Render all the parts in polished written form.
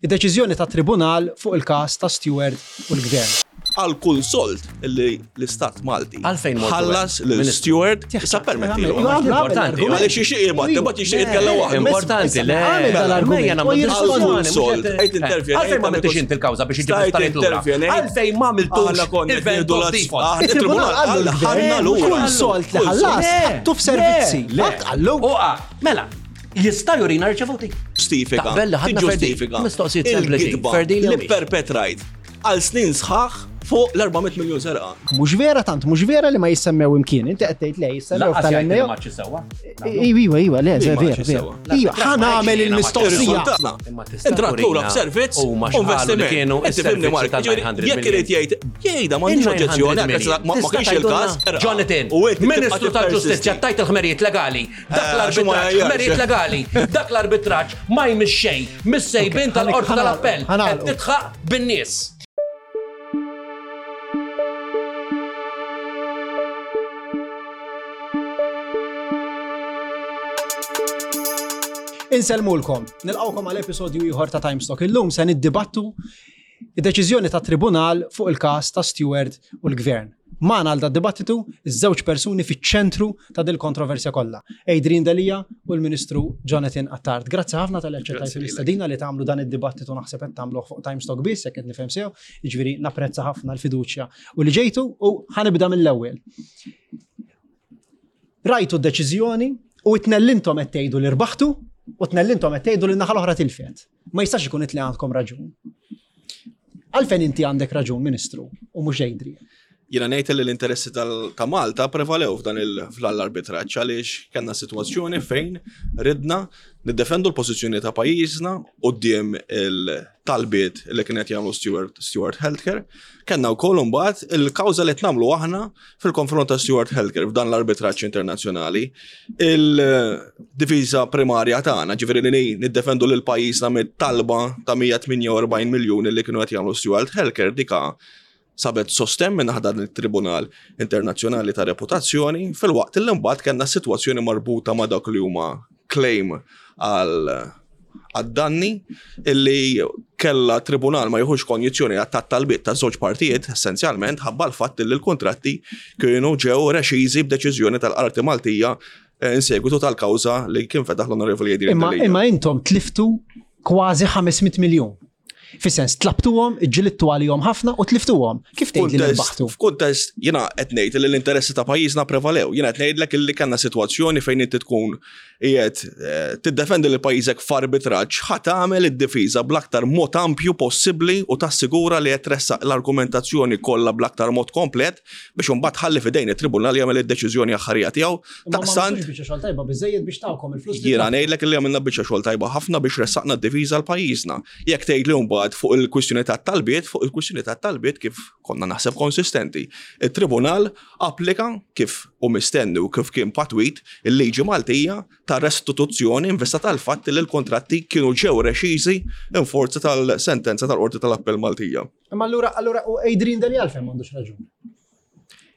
Id-deċiżjoni tat-Tribunal fuq il-każ ta' Steward u l-Gvern. Għal kull sold li l-Istat Malti Għalfejn mortu ħallas hemm? lil Ministru. Steward, issa permetti. Importanti. Għaliex jixtieq jibgħat, imbagħad jixtieq jitkellem waħdu. Importanti, le. Għamel dal-argument. Mejja nagħmlu U diskussjoni, Għal mhux sold, qed- qed intervjenejt, Għalfejn ma għamiltux inti l-kawża biex iġib Stajt l-affarijiet lura? intervjenejt. Għalfejn ma għamiltux Aħna konna il-vent nieħdu of l-azz- default? aħna Il-Tribunal il-Tribunal qallu qal l-gvern, ħadna lura. Kull sold li ħallas, ħattu f'servizzi. Le, Qatt qallu. Uqa, mela, jista' jurina riċevuti. Ġustifika. Taqbel li ħadna Ferdi. Tiġġustifika. Mistoqsijiet sempliċi. Il-gidba Ferdi li perpetrajt għal snin sħaħ fuq l-400 miljon serqa. Mhux vera tant, mhux vera li ma jissemmew imkien. Inti qed tgħid le jissemmew Laqqas jgħid li tal-NAO. ma sewwa. Iwa, iwa, iwa, le, Li ma vera, ġi vera. sewa. Iwa, ħa nagħmel il-mistoqsija. Imma tista' Intrat lura turina f'servizz u huma x'qalu li investiment. kienu Inti fimni s-servizzi Mark, tal- ġifieri, 900 jekk irid jgħid, jgħidha m'għandix Il-900 oġġezzjoni, million. ma ma Tista' kienx il-każ. tgħidulna, Jonathan, U inti tibqa' Ministru tal-Ġustizzja tippersisti. tajt il-ħmerijiet legali. Dak Eh, għax ma l-arbitraġġ, jgħajjarx. ħmerijiet legali. Dak l-arbitraġġ ma jmiss xejn, mis-sejbin Ok, tal-qorti ħanagħlqu, tal-appell. Qed ħanagħlqu. titħaq bin-nies. Insellmulkom, nilqawkom għal episodju ieħor ta' Timestock. Illum se niddibattu id-deċiżjoni ta' tribunal fuq il-każ ta' Steward u l-Gvern. Magħna għal dad-dibattitu iż-żewġ persuni fiċ-ċentru ta' dil kontroversja kollha, Adrian Delia u l-Ministru Jonathan Attard. Grazzi ħafna tal aċċettajtu Grazzi lilek. l-istedina li tagħmlu dan id-dibattitu naħseb qed tagħmluh fuq Timestock biss jekk qed nifhem sew, jiġifieri napprezza ħafna l-fiduċja u li ġejtu u ħanibda mill-ewwel. Rajtu d-deċiżjoni u it-tnellintom qed tgħidu li rbaħtu u tnellintom qed tgħidu li n-naħa l-oħra tilfet. Ma jistax ikun it li għandkom raġun. Għalfejn inti għandek raġun, Ministru, u mhux Adrian. Jiena ngħid li l-interessi tal- ta' Malta prevalew f'dan il- f'dan l-arbitraġġ għaliex kellna sitwazzjoni fejn ridna niddefendu l-pożizzjoni ta' pajjiżna quddiem il-talbiet li kienet jagħmlu Steward, Steward Healthcare. Kellna wkoll imbagħad il-kawża li qed nagħmlu aħna fil-konfront ta' Steward Healthcare f'dan l-arbitraġġ internazzjonali. Il-difiża primarja tagħna, ġifieri li niddefendu lil pajjiżna mit-talba ta' 148 miljun li kienu qed jagħmlu Steward Healthcare dika sabet sosten minn dan il-Tribunal Internazzjonali ta' Reputazzjoni fil-waqt li mbagħad kellna sitwazzjoni marbuta ma' dak li huma claim għal għad-danni illi kella tribunal ma jieħux konjizzjoni għat talbiet ta' żewġ partijiet essenzjalment ħabba l-fatt li l-kontratti kienu ġew rexiżi b'deċiżjoni tal-Qarti Maltija eh, in segwitu tal-kawża li kien fetaħ l-Onorevoli Adrian Imma, Delia. imma intom tliftu kważi 500 miljun. Fis-sens, tlabtuhom, ġilittu għalihom ħafna u tliftuhom. Kif tgħid li rbaħtu? F'kuntest, jiena qed ngħid li l-interessi ta' pajjiżna prevalew. Jiena qed ngħidlek illi kellna sitwazzjoni fejn inti tkun qiegħed eh, tiddefendi lil pajjiżek f'arbitraġġ ħa tagħmel id-difiża bl-aktar mod ampju possibbli u tassigura li qed tressaq l-argumentazzjoni kollha bl-aktar mod komplet biex imbagħad ħalli f'idejn it-tribunal jagħmel id-deċiżjoni aħħarija tiegħu. Imma ma Daqstant għamiltux biċċa xogħol tajba biżejjed biex tawkom il-flus. li Jiena tlabtu. ngħidlek li għamilna biċċa xogħol tajba ħafna biex ressaqna d-diviża l pajjiżna. Jekk tgħid li mbagħad fuq il-kwistjoni tat-talbiet, fuq il-kwistjoni tat-talbiet kif konna naħseb konsistenti. Il-Tribunal applika kif u mistenni u kif kien patwit il-liġi Maltija ta' restituzzjoni in vista tal-fatt li l-kontratti kienu ġew rexiżi in forza tal-sentenza tal-Qorti tal-Appell Maltija. Imma allura allura u Adrian Delia għalfejn m'għandux raġun.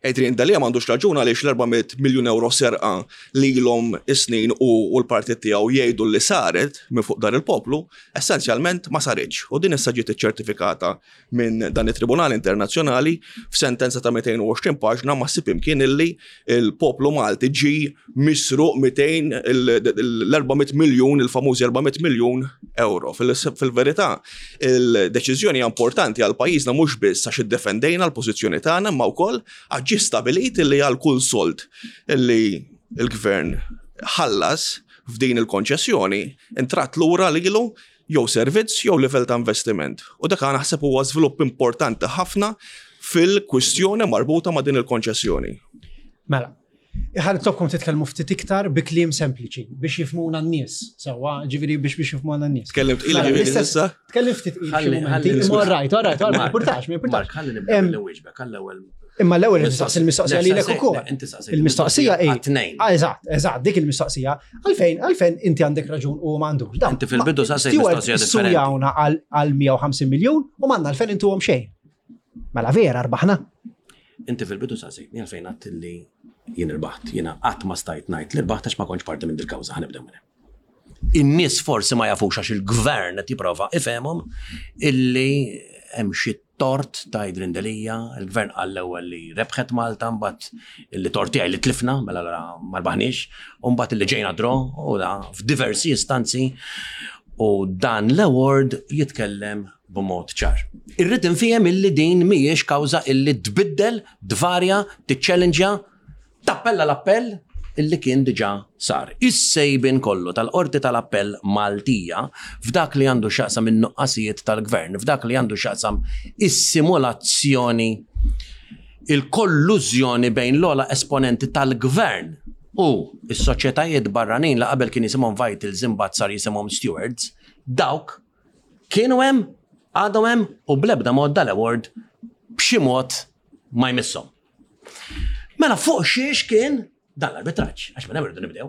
Adrian Delia m'għandux raġun għaliex l-400 miljun euro serqa lilhom is-snin u u l-partit tiegħu jgħidu li saret minn fuq dar il-poplu, essenzjalment ma saritx. U din issa ġiet iċċertifikata minn dan it-Tribunal Internazzjonali f'sentenza ta' 220 paġna ma ssib imkien illi il-poplu Malti ġi misruq 200 l-400 miljun, il-famużi 400 miljun euro. Fil- Fil-verità, il-deċiżjoni hija importanti għal pajjiżna mhux biss għax iddefendejna l-pożizzjoni tagħna imma wkoll għax ġie stabilit illi għal kull sold illi l-gvern ħallas f'din il-konċessjoni intrat lura lilu jew servizz jew livell ta' investiment. U dak naħseb huwa żvilupp importanti ħafna fil-kwistjoni marbuta ma' din il-konċessjoni. Mela, ħa nitlobkom titkellmu ftit iktar bi kliem sempliċi biex jifhmuna n-nies. Sewwa, ġifieri biex biex jifhmuna n-nies. Tkellimt tqila Mela, ġifieri l-istess- issa? Tkellim ftit tqil xi Ħalli- mumenti. ħalli- Imma all right, all right, all right, ma Mark, importax, ma importax. Mark, ħalli nibda Em, billi wieġbek, għall-ewwel. Imma l-ewwel nistaqsi il-mistoqsija lilek ukoll. Le, Inti saqsejt Il-mistoqsija hi. Għat-tnejn. Ah, Eżatt, eżatt, dik il-mistoqsija. Għalfejn, għalfejn inti għandek raġun u m'għandux. Dan, Inti fil-bidu ma- saqsejt Stewart mistoqsija differenti. issujawna għal għal 150 miljun u m'għandna għalfejn intuhom xejn. Mela vera rbaħna. Inti fil-bidu saqsejtni għalfejn għadt li jien irbaħt. Jiena qatt ma stajt ngħid li rbaħt għax ma kontx parti minn dil-kawża ħanibdew minn hemm. In-nies forsi ma jafux għax il-gvern qed jipprova ifehmhom illi hemm xi tort ta' Adrian Delia, il-gvern qal l-ewwel li rebħet Malta, mbagħad illi tort tiegħi li tlifna, mela allura ma rbaħniex, u mbagħad illi ġejna draw u da f'diversi istanzi u dan l-award jitkellem b'mod ċar. Irrid infiehem illi din mhijiex kawża illi tbiddel, tvarja, tiċċellinġja, tappella l-appell illi kien diġà sar. Is-sejbien kollu tal-Qorti tal-Appell Maltija f'dak li għandu x'jaqsam in-nuqqasijiet tal-Gvern, f'dak li għandu x'jaqsam is-simulazzjoni, il-kollużjoni bejn l-ogħla esponenti tal-Gvern u s-soċjetajiet barranin li qabel kien jisimhom Vitals imbagħad sar jisimhom Stewards, dawk kienu hemm, għadhom hemm u bl-ebda mod dal-award b'xi mod ma jmisshom. Mela fuq xiex kien dan l-arbitraġġ, għax minn hemm irridu nibdew.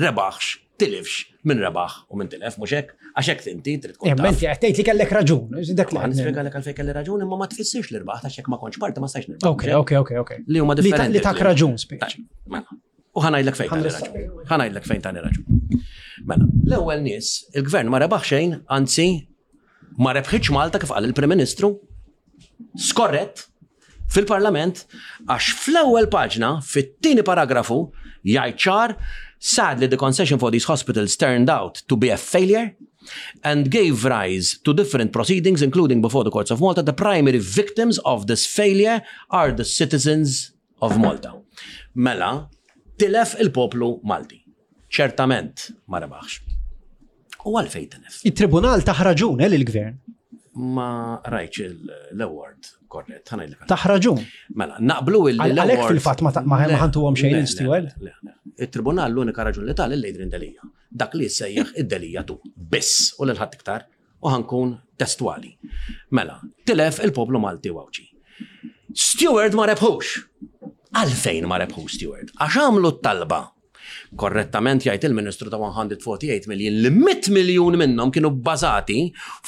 Rebaħx, tilifx, min rebaħ u min tilef, mhux hekk, għax hekk inti trid tkun. Imma inti qed tgħid li kellek raġun, dak li nispjegalek għalfejn kelli raġun imma ma tfissirx li rbaħt għax hekk ma kontx parti ma stajx nirbaħ. Ok, ok, ok, ok. Li huma differenti. Li tak raġun speċi. Mela. U ħanajdlek fejn tani raġun. Ħanajdlek fejn tani raġun. Mela, l-ewwel nies, il-gvern ma rebaħ xejn, anzi ma rebħitx Malta kif qal il-Prim Ministru, skorrett fil-Parlament għax fl-ewwel paġna, fit-tieni paragrafu, jgħid ċar, sadly the concession for these hospitals turned out to be a failure and gave rise to different proceedings including before the courts of Malta. The primary victims of this failure are the citizens of Malta. Mela, tilef il-poplu Malti. Ċertament ma rebaħx. U għalfejn tilef? Il-tribunal taħ raġun eh, lill-gvern. Ma rajtx l-award korrett, ħanajdlek. Taħ raġun. Mela, naqblu il Għalhekk fil-fatt ma ħantuhom xejn il-steward. Il-tribunal l-unika raġun li tal lil Delija. Dak li jissejjaħ id-Delija tu. Biss u lil ħadd iktar. U ħankun testwali. Mela, tilef il-poplu Malti u Għawdxi. Steward ma rebħux. Għalfejn ma rebħux Steward? Għax għamlu t-talba Korrettament jgħid il-Ministru ta' 148 million li 100 miljun minnhom kienu bbażati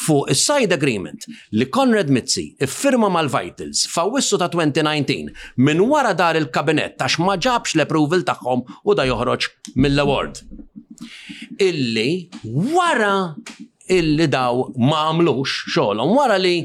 fuq is-side agreement li Konrad Mizzi iffirma mal-Vitals f'Awwissu ta' 2019 minn wara dar il-Kabinett għax ma ġabx l-approval tagħhom u da joħroġ mill-award. Illi wara illi daw ma għamlux xogħolhom, wara li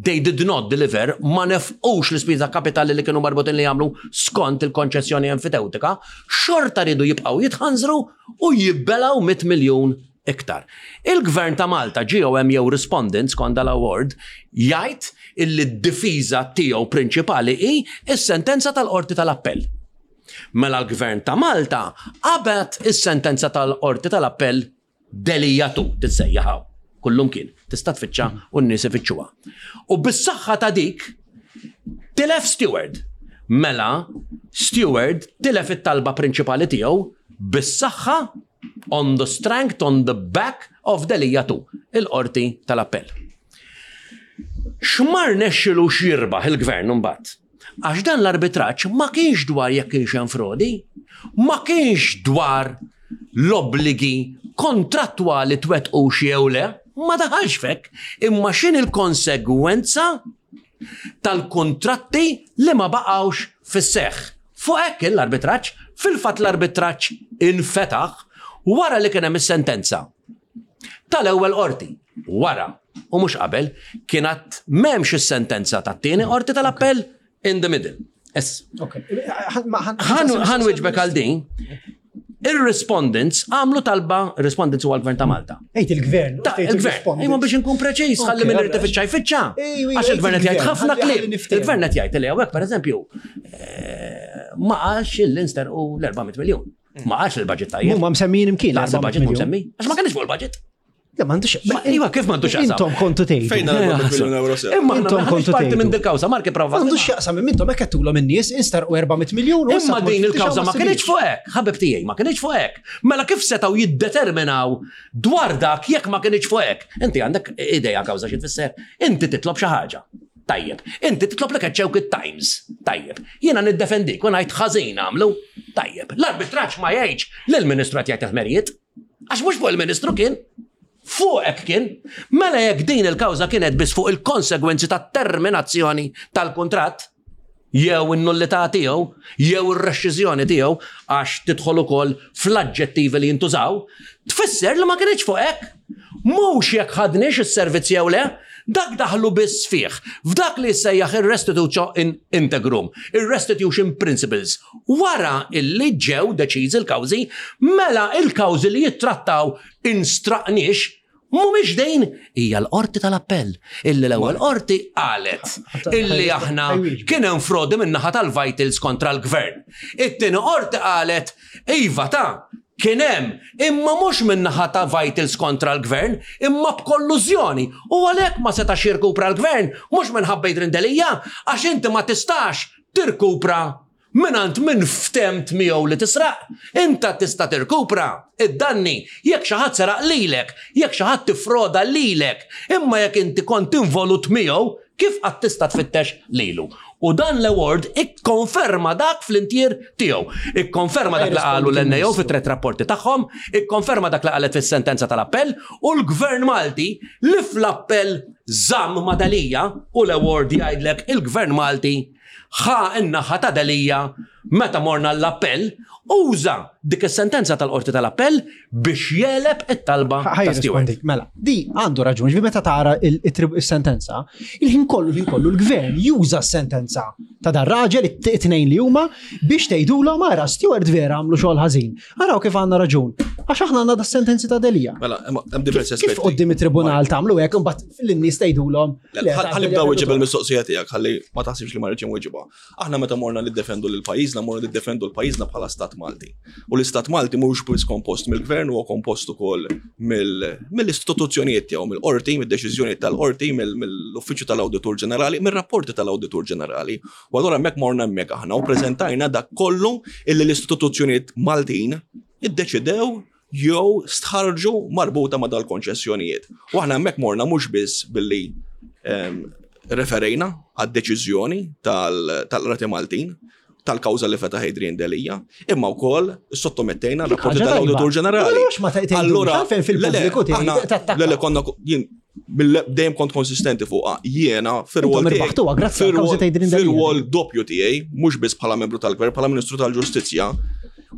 they did not deliver, ma nefqux l-ispiża kapitali li kienu marbutin li jagħmlu skont il-konċessjoni enfitewtika, xorta riedu jibqgħu jitħanżru u jibbelgħu 100 miljun iktar. Il-Gvern ta' Malta, GOM jew Respondent skont dal-award, jgħid illi d-difiża tiegħu prinċipali hi s-sentenza tal-Qorti tal-Appell. Mela l-Gvern ta' Malta qabad is-sentenza tal-Qorti tal-Appell Delia tu tissejjaħ hawn, kullumkien, tista' tfittxa u n-nies ifittxuha. U bis-saħħa ta' dik tilef Steward. Mela Steward tilef it-talba prinċipali tiegħu bis-saħħa on the strength on the back of Delia tu, il-qorti tal-appell. X'ma rnexxilux jirbaħ il-gvern imbagħad? Għax dan l-arbitraġġ ma kienx dwar jekk kienx hemm frodi, ma kienx dwar l-obbligi kontrattwali twettqux jew le, ma daħalx f'hekk, imma x'inhi l-konsegwenza tal-kuntratti li ma baqgħux fis-seħħ. Fuq hekk kien l-arbitraġġ, fil-fatt l-arbitraġġ infetaħ wara li kien hemm is-sentenza tal-ewwel qorti. Wara, u mhux qabel, kien għad m'hemmx is-sentenza tat-tieni qorti tal-appell in the middle. Ħan wieġbek għal din. Ir-respondents għamlu talba, respondents huwa l-Gvern ta' Malta. Ejt il-Gvern. Ta' il-Gvern. Imma biex inkun preċiż, ħalli minn irid ifittxa jfittxa. Għax il-Gvern qed jgħid ħafna kliem. Il-Gvern qed jgħid li hawnhekk pereżempju eh, ma qalx il-inster u l-400 miljun. Ma qalx il-budget tajjeb. Huma msemmijin imkien. Laqas il-budget mhu msemmi. Għax ma kienx fuq il-budget. Le m'għandux. Iva, kif m'għandux xaqsam? Intom kontu tgħidu. Fejn miljun euro sew. Imma intom kontu parti minn dil-kawża, Marki prova. M'għandux xaqsam imma intom hekk qedtulhom in-nies instarqu 400 miljun. Imma din il-kawża ma kienx fuq hekk, ħabib tiegħi, ma kienx fuq hekk. Mela kif setgħu jiddeterminaw dwar dak jekk ma kienx fuq hekk? Inti għandek idea kawża xi tfisser? Inti titlob xi ħaġa. Tajjeb. Inti titlob li keċċewk it-Times. Tajjeb. Jiena niddefendik u ngħid ħażin għamlu. Tajjeb. L-arbitraġġ ma jgħidx li l-Ministru qed jgħid ħmerijiet. Għax mhux fuq il-Ministru kien. Fuqek kien. Mela jekk din il-kawża kienet biss fuq il-konsegwenzi tat-terminazzjoni tal-kuntratt. jew in-nullità tiegħu, jew ir-rexxiżjoni tiegħu għax tidħol ukoll fl-aġġettivi li jintużaw, tfisser li ma kinitx fuq hekk. Mhux jekk ħadniex is-servizz jew le, dak daħlu biss fih, f'dak li jissejjaħ ir-restitutio in integrum, ir-restitution principles. Wara illi ġew deċiżi l-kawżi, mela il-kawżi li jittrattaw instraqniex Mhumiex dejn, hija l-Qorti tal-Appell illi l-ewwel qorti qalet illi aħna kien hemm frodi min-naħa tal-Vitals kontra l-Gvern. It-tieni qorti qalet iva ta' kien hemm imma mhux min-naħa ta' Vitals kontra l-Gvern imma b'kollużjoni u għalhekk ma setax jirkupra l-Gvern mhux minħabba Adrian Delia għax inti ma tistax tirkupra mingħand min ftemt miegħu li tisraq. Inta tista' tirkupra id-danni jekk xi ħadd seraq lilek, jekk xi ħadd iffroda lilek, imma jekk inti kont involut miegħu, kif qatt tista' tfittex lilu? U dan l-award ikkonferma dak fl-intier tiegħu. Ikkonferma dak li qalu l-NAO fit-tret rapporti tagħhom, ikkonferma dak li qalet fis-sentenza tal-appell u l-Gvern Malti li fl-appell żamm ma' Delia u l-award jgħidlek il-Gvern Malti ħa n-naħa ta' Delia meta morna l-appell, uża dik is-sentenza tal-Qorti tal-Appell biex jegħleb it-talba ta' Steward. Mela, di għandu raġun, ġifieri meta tara il-sentenza, il-ħin kollu il-ħin kollu l-gvern juża s-sentenza ta' dar raġel it-tnejn li huma biex tgħidulhom ara Steward vera għamlu xogħol ħażin. Araw kif għandna raġun. Għax aħna għandna da sentenzi ta' Delia. Mela, hemm diversi aspetti. Kif qoddim it-tribunal tagħmlu hekk imbagħad lin-nies tgħidulhom. Ħalli nibda wieġeb il-mistoqsija tiegħek, ħalli ma taħsibx li ma rridx inweġibha. Aħna meta morna niddefendu lil pajjiżna, morna niddefendu l pajjiżna bħala Stat Malti. U l-Istat Malti mhux biss kompost mill-gvern, huwa kompost ukoll mill-istituzzjonijiet tiegħu, mill-qorti, mid-deċiżjonijiet tal-qorti, mill-Uffiċċju tal-Awditur Ġenerali, mir-rapporti tal-Awditur Ġenerali. U allura hemmhekk morna hemmhekk aħna u preżentajna dak kollu illi l-istituzzjonijiet Maltin iddeċidew jew stħarġu marbuta ma' dal-konċessjonijiet. U aħna hemmhekk morna mhux biss billi ehm, referejna għad-deċiżjoni tal-Qrati Maltin tal-kawża li fetaħ Adrian Delia, imma wkoll sottomettejna rapporti tal-Awditur Ġenerali. Allura, fil-pubbliku Le, le, konna jien dejjem kont konsistenti fuqha. Jiena fir-rwol fir-rwol doppju tiegħi, mhux biss bħala membru tal-Gvern, bħala Ministru tal-Ġustizzja,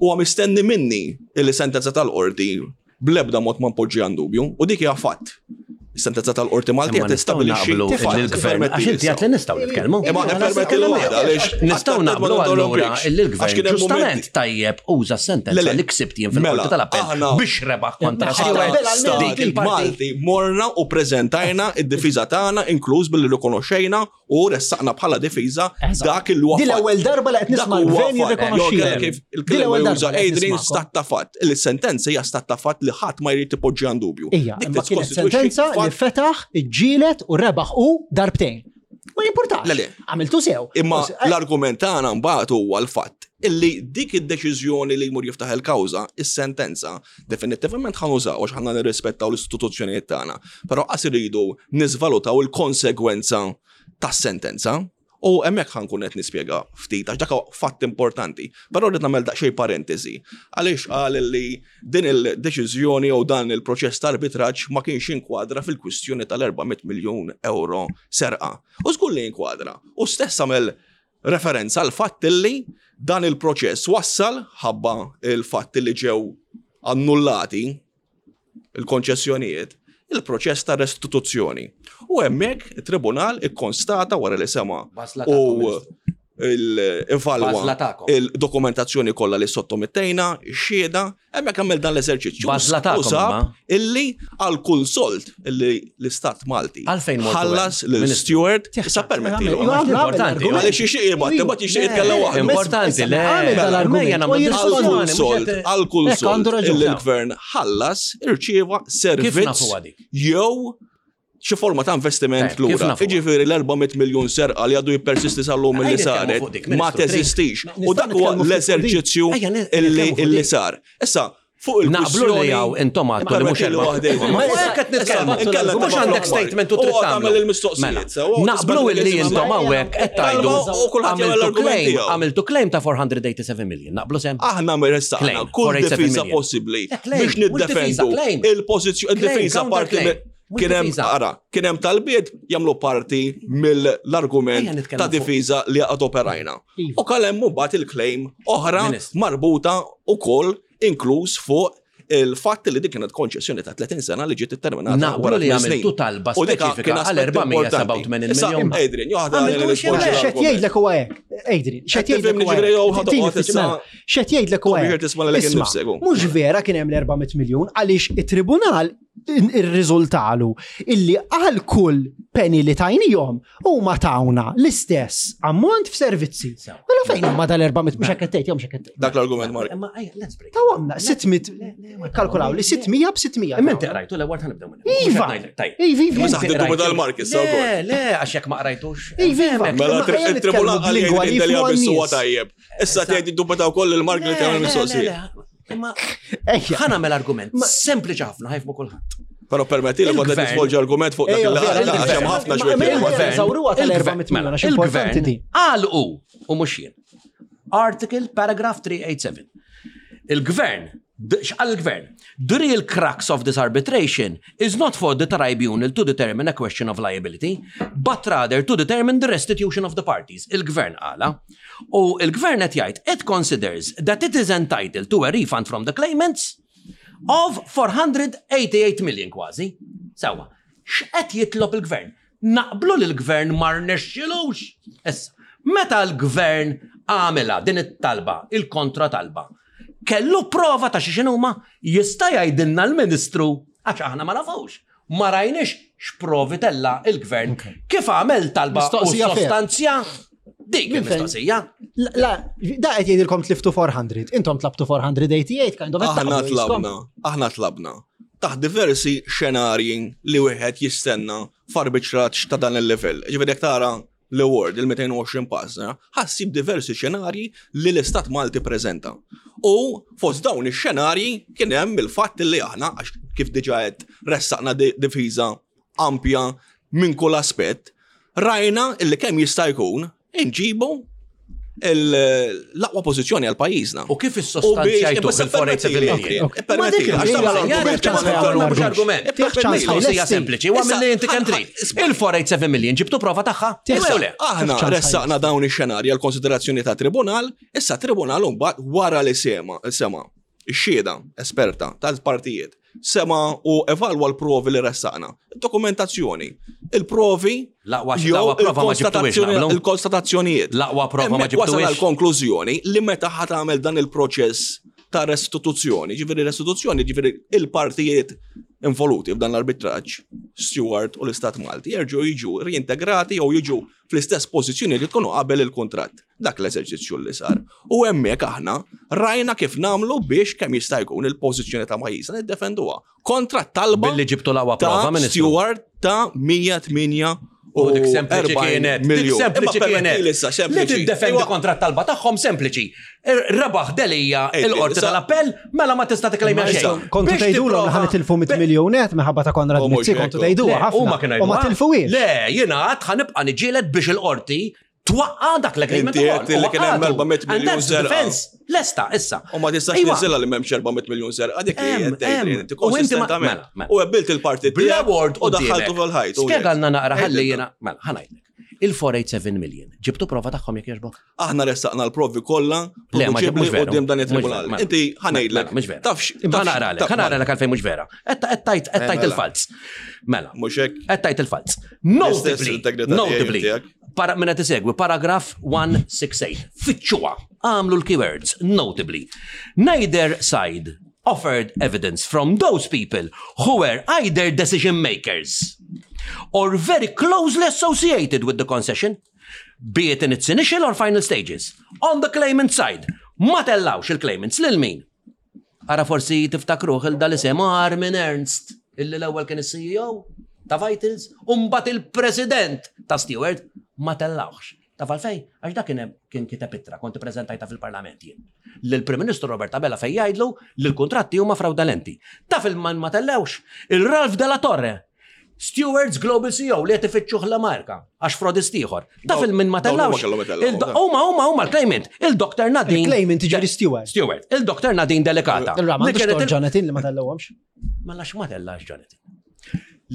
huwa mistenni minni illi sentenza tal-qorti bl-ebda mod ma npoġġi għan dubju u dik hija fatt. Sentenza tal-qorti Maltija tistabbilixxi il-gvern. Għax inti għat li nistgħu nitkellmu. Imma permetti l waħda għaliex nistgħu naqblu allura il-gvern ġustament tajjeb uża sentenza li ksibt jien fil-qorti mela, tal-appell biex rebaħ kontra Dik il-Malti morna u preżentajna id-difiża tagħna inkluż billi rikonoxxejna u ressaqna bħala difiża dak il huwa. Din l-ewwel darba li qed nisma' l-gvern jirrikonoxxi. Kif il-kelma juża Adrian stat ta' fatt, il-sentenza hija stat ta' fatt li ħadd ma jrid ipoġġi għand dubju. Ija, imma kienet sentenza li fetaħ, iġġielet u rebaħ u darbtejn. Ma jimpurtax. Le, le. Għamiltu sew. Imma eh, l-argument tagħna mbagħad huwa l-fatt illi dik id-deċiżjoni li jmur jiftaħ il-kawża, is-sentenza, definittivament ħa nużaw għax ħanna nirrispettaw l-istituzzjonijiet tagħna. Però qas iridu niżvalutaw il-konsegwenza tas-sentenza. U hemmhekk ħa nkun qed nispjega ftit għax dak fatt importanti. Però rrid nagħmel daqsxejn parentesi. Għaliex qal li din il-deċiżjoni jew dan il-proċess ta' arbitraġġ ma kienx inkwadra fil-kwistjoni tal-400 miljun euro serqa. U żgur li inkwadra. U stess għamel referenza għal fatt li dan il-proċess wassal ħabba il-fatt li ġew annullati il-konċessjonijiet, il-proċess ta' restituzzjoni. U hemmhekk it-tribunal ikkonstata wara li sema u evalwa il-dokumentazzjoni kollha li sottomettejna, ix-xhieda, hemmhekk għamel dan l-eżerċizzju. U sab illi għal kull sold illi l-Istat Malti ħallas lil Steward sa permettilu. Importanti. Għaliex jixtieq jibgħat, imbagħad jixtieq jitkellem waħdu. Importanti, le. Għal kull sold, għal kull sold illi l-gvern ħallas irċieva servizz jew xi forma ta' investiment lura. Jiġifieri l-400 miljun serqa li għadu jippersisti sal-lum li saret ma teżistix. U dak huwa l-eżerċizzju illi sar. Issa, fuq il Naqblu li jaw intom għadtu li mhux Ma qed nitkellmu. Mhux għandek statement u trid tagħmel il-mistoqsijiet. Mela, naqblu li intom hawnhekk qed tgħidu għamiltu claim ta' 487 million. Naqblu sem. Aħna ressaqna kull difiża possibbli biex niddefendu il-pożizzjoni, il-difiża parti. Kien hemm ara, kien hemm talbiet jagħmlu parti mill-argument ta' difiża li għad operajna. Iva. U kal hemm mbagħad il-claim oħra marbuta wkoll inkluż fuq il-fatt li dik kienet konċessjoni ta' 30 sena li ġiet itterminata. Naqblu li għamiltu talba speċifika għal 487 miljun. Adrian, joħda Xed jgħidlek huwa hekk. Adrian, xed jgħidlek huwa hekk. Xed jgħidlek huwa hekk. Mhux vera kien hemm l-400 miljun għaliex it-tribunal irriżultalu illi għal kull penny li tajnijom huma tawna l-istess ammont f'servizzi. Mela fejn huma dal-400 mhux hekk tgħid jew mhux hekk tgħid. Dak l-argument Mark. Imma ejja, let's break. Tawhomna 600 kalkulaw li 600 b'600. Imma inti qrajtu l-ewwel ħanibdew minn. Iva. Iva, iva. Mhux saħ tiddu dal-Mark issa wkoll. Le, le, għax jekk ma qrajtux. Iva, iva. Mela il-tribunal għal lingwa li huwa tajjeb. Issa tgħid iddubita wkoll il-Mark li tagħmel mistoqsija. Imma ħa nagħmel argument sempliċi ħafna ħajfmu kulħadd. Però permetti li kont qed nisvolġi argument fuq dak il għax hemm ħafna xwieq. Il-gvern qal hu u mhux jien. Article paragraph 387. Il-gvern x'qal il-gvern? The real crux of this arbitration is not for the tribunal to determine a question of liability, but rather to determine the restitution of the parties. Il-gvern qala. U il-gvern qed jgħid it considers that it is entitled to a refund from the claimants of 488 million kważi. Sewwa, x'qed jitlob il-gvern? Naqblu li l-gvern ma rnexxilux. Issa, meta l-gvern għamilha din it-talba, il-kontra talba, kellu prova ta' xi x'inhuma? Jista' jgħidilna l-Ministru għax aħna ma nafux. Ma rajniex x'provi tella' il-gvern kif għamel talba u sostanzja dik il-mistoqsija. La, da qed jgħidilkom tliftu 400, intom tlabtu 488 kind of. Aħna tlabna, aħna tlabna. Taħt diversi xenarji li wieħed jistenna f'arbitraġġ ta' dan il-livell. Ġifieri jekk tara l-award, il-220 pażna, ħassib diversi xenarji li l-Istat Malti preżenta. U fost dawn ix-xenarji kien hemm il-fatt li aħna, għax kif diġà qed ressaqna difiża ampja minn kull aspett, rajna illi kemm jista' jkun inġibu l-aqwa pożizzjoni għal pajjiżna. U kif issostanzjajtu il-487 million? Argument. Mistoqsija sempliċi, u għamil li inti kemm trid. Il-487 million ġibtu prova tagħha? Aħna ressaqna dawn ix-xenarji għal konsiderazzjoni ta' tribunal, issa tribunal mbagħad wara li sema sema ix-xhieda esperta tal-partijiet sema u evalwa l-provi li ressaqna. Dokumentazzjoni, il-provi, l-aqwa prova ma ġibtuhiex il-konstatazzjonijiet. L-aqwa prova ma ġibtuhiex. Wasal għal-konklużjoni li meta ħa tagħmel dan il-proċess ta' restituzzjoni, ġifieri restituzzjoni, ġifieri il-partijiet involuti f'dan l-arbitraġġ, Stewart u l-Istat Malti, jerġgħu jiġu reintegrati jew jiġu fl-istess pożizzjoni li tkunu qabel il-kuntratt. Dak l-eżerċizzju li sar. U hemmhekk aħna rajna kif nagħmlu biex kemm jista' jkun il-pożizzjoni ta' pajjiżna niddefenduha kontra talba Billi ġibtu l-aqwa prova, ta' Ministru. Stewart ta' 108 U dik sempliċi kienet, dik sempliċi kienet. Li tiddefendi kontra t-talba tagħhom sempliċi. Rebaħ Delia il-qorti tal-appell, mela ma tista' tiklejmja xejn. Kontu tgħidulhom li ħanitilfu 100 miljun net minħabba ta' Konrad Mizzi, kontu tgħiduha ħafna. Huma kienu U ma tilfuhiex. Le, jiena għad ħanibqa' niġġieled biex il-qorti twaqqa' dak l-agreement Inti għedt li kien hemm 400 miljun serqa. Lesta, issa. U ma tistax niżilha li m'hemmx 400 miljun serqa, dik li qed tgħid inti konsistentament. Mela, mela. U għebbilt il-partit Bl-award u daħħaltu fil-ħajt. Spjegalna naqra ħalli jiena, mela, ħa ngħidlek. Il-487 million, ġibtu prova tagħhom jekk jogħġbok? Aħna ressaqna l-provi kollha produċibbli quddiem dan it-tribunal. Mela, Inti ħanejdlek. Mela, mhux vera. Tafx. Ħa naqralek, ħa naqralek għalfejn mhux vera. Qed tajt qed tajt il-falz. Mela. Mhux hekk. Qed tajt il-falz. Notably, notably, para minn qed isegwi paragraf 168. Fittxuha, għamlu l-keywords, notably. Neither side offered evidence from those people who were either decision makers or very closely associated with the concession, be it in its initial or final stages. On the claimant side, ma tellawx il-claimants lil min? Ara forsi tiftakruh il dal-isem Armin Ernst, illi l-ewwel kien is-CEO ta' Vitals, u mbagħad il-President ta' Steward, ma tellawx. Taf għalfejn? Għax dak kien hemm kien kiteb ittra, kont ippreżentajtha fil-Parlament jien, lill-Prim Ministru Robert Abela fejn jgħidlu li l-kuntratti huma frawdalenti. Taf il man ma tellewx? Il-Ralph Della Torre, Stewards Global CEO li qed ifittxuh l-Amerka għax frodist ieħor. Taf il min ma tellawx? Huma huma huma l-claimant, il-Dr. Nadine. Il-claimant jiġifieri Steward. Steward, il-Dr. Nadine Delicata. Il-Rama, Jonathan li ma tellewhomx. Mela x'ma tellax Jonathan?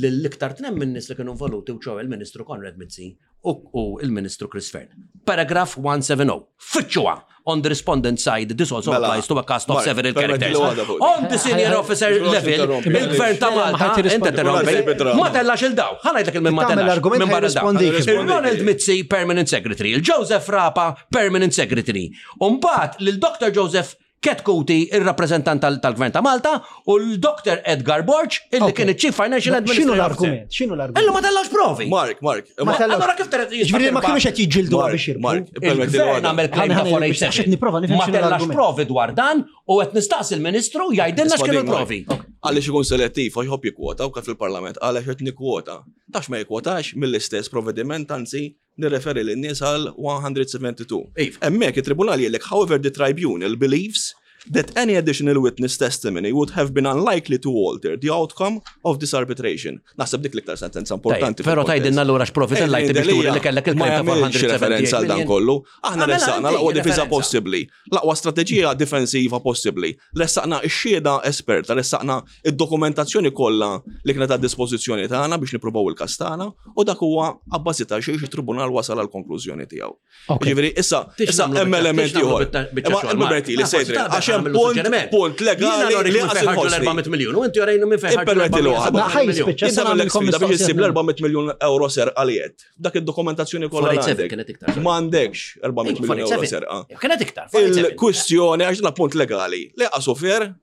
lill-iktar tnem minn nies li kienu involuti u ċoe il-Ministru Konrad Mizzi u il-Ministru Chris Fearne. Paragraph 170. Fittxuha! On the respondent side, this also Mela, applies to a cast of Mark, several permetti characters. li waħda fuq. On the senior officer level, il-gvern ta' Ma Malta, ħadd inti jirrispondi. interrompi, ma tellax il-daw. Ħa ngħidlek il-min ma Tagħmel tellax. l-argument Min barra daw. ħajrispondik. Il-Ronald Mizzi, permanent secretary. Il-Joseph Rapa, permanent secretary. Umbat, lil-Dr. Joseph Ketkuti, il-rappresentant tal-Gvern ta' Malta, u l-Dr. Edgar Borg, illi Ok. kien il-Chief Financial X'inhu Administrator. l-argument? X'inhu l-argument? Illu ma tellax provi. Mark, Mark, Ma tellax. Allora kif teret Ġifieri ma kienux qed jiġġieldu Mark, biex jirbħu. Mark, permetti li Il-gvern waħda. għamel claim ta' Ħana- ħana- 487. għax qed nipprova nifhem Ma x'inhu tellax l-argument. provi dwar dan u qed nistaqsi l-Ministru jgħidilna x'kienu l-provi. Għaliex ikun selettiv, għax jħobb jikkwota u kif fil-parlament, għaliex qed nikkwota. Tax ma jikkwotax mill-istess provvediment, anzi, nirreferi lin-nies għal 172. Iva. Hemmhekk it-tribunal jgħidlek, however the tribunal believes that any additional witness testimony would have been unlikely to alter the outcome of this arbitration. Naħseb dik l-iktar sentenza importanti. Pero fil-kontest. tajdilna allura x'profi tellajt biex turi li kellek il-claim Ma ta' jagħmilx 478 referenza għal dan million. kollu. Aħna Għamela ressaqna inti l-aqwa difiża referenza. possibbli, l-aqwa strateġija difensiva possibbli. Ressaqna x-xhieda esperta, ressaqna id-dokumentazzjoni kollha li kienet għad dispożizzjoni tagħna biex nippruvaw il-każ tagħna u dak huwa abbażi ta' xejn it-tribunal wasal għal konklużjoni tiegħu. Ok. Ġifieri issa Tix issa nagħmlu hemm biċċa- element tix nagħmlu ieħor. biċċa- biċċa Imma xogħol, il-Berti li Mark. sejtri Forsi għax hemm tagħmlu punt suġġeriment. punt legali Jiena li minn qas fejn ħarġu inħossni. l-400 miljun u inti jorejnu minn fejn ħarġu Ippermetti li waħda. l-470 Ma ħaj miljun. jispiċċa Jien sa nagħmel nagħmilkom sfida biex issib mistoqsija. l-400 miljun euro serqa li qed. Dak id-dokumentazzjoni kollha li 487 għandek. kienet iktar, sorry. M'għandekx 400 miljun euro 487. serqa. Kienet iktar. 487. Il-kwistjoni għax dan punt legali li qasu fer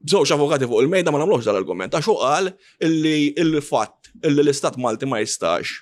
bżewġ avukati fuq il-mejda ma nagħmlux dal-argument għax hu qal illi il-fatt illi l-Istat Malti ma jistax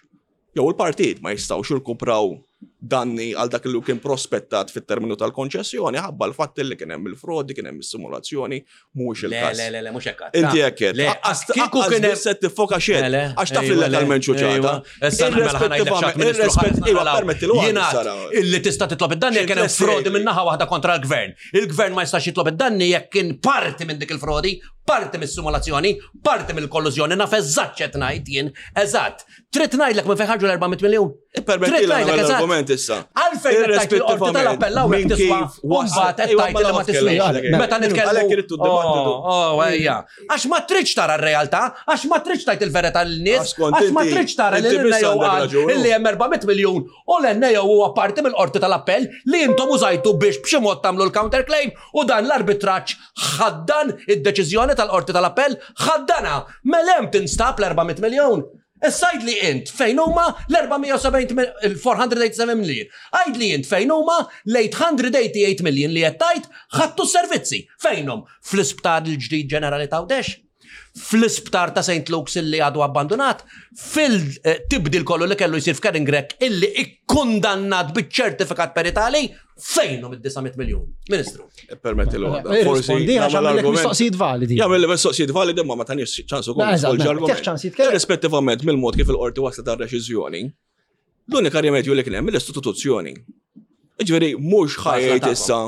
jew il-partit ma jistgħux jirkupraw danni għal dak li kien prospettat fit-terminu tal-konċessjoni ħabba l-fatt illi kien hemm il-frodi, kien hemm is-simulazzjoni, mhuwiex Le, il-każ. le, le, le, mhux hekk. Inti hekk qed. Le, kieku kien hemm biss qed tiffoka xejn. Le, le, Għax taf ejwa, li le, legalment ċuċata. ejwa. Issa mela ħa ngħidlek x'għad Ministru ħares Iva, naqraw. permetti l Jingħad illi tista' titlob id-danni jekk kien hemm X'interess frodi jgħidli? minn naħa waħda kontra l-gvern. Il-gvern ma jistax jitlob id-danni jekk kien parti minn dik il-frodi, parti mis-simulazzjoni, parti mill-kollużjoni, naf eżatt x'qed ngħid jien, eżatt. Trid ngħidlek minn fejn ħarġu l-400 miljun. Ippermetti Trid li ngħidlek nagħmel eżatt. l-argument issa. Għalfejn qed tgħid li l-qorti tal-appell hawnhekk Minn tiswa kif u mbagħad qed Ejwa, tgħid mela li ma ma tkellem. tiswiex. Meta nitkellmu. Għalhekk irid dibattitu. Oh, oh, ejja. Għax ma tridx tara r-realtà, għax ma tridx tgħid il-verità lin-nies, Għax kont għax ma inti- tridx tara li inti biss l-NAO għandek qal raġun. illi hemm 400 miljun u l-NAO huwa parti mill-qorti tal-appell li intom użajtu biex b'xi mod tagħmlu l-counterclaim u dan l-arbitraġġ ħaddan id-deċiżjoni tal-qorti tal-appell ħaddana. Mela hemm tinstab l-400 miljun. Issa għid li int fejn huma l-470 il-487 million. Għid li int fejn huma l-888 million li qed tgħid ħadtu s-servizzi. Fejnhom? Fl-isptar il-ġdid ġenerali ta' Għawdex? Fl-isptar ta' St. Luke's illi għadu abbandonat, fil-tibdil kollu li kellu jsir f'Karen Grech illi ikkundannat biċ-ċertifikat peritali, fejnhom id-900 miljun? Ministru. Permetti l waħda. Irrispondi għax nagħmel għamillek argument. mistoqsijiet validi. Jagħmel li mistoqsijiet validi imma ma tanix ċans ukoll Ma, eżatt, nisvolġi mela, argument. tieħ ċans jitkellem. Irrispettivament mill-mod kif il-qorti waslet għar-reċiżjoni, l-unika rimedju li kien hemm l-istituzzjoni. Ġifieri mhux ħajjt tagħkom. issa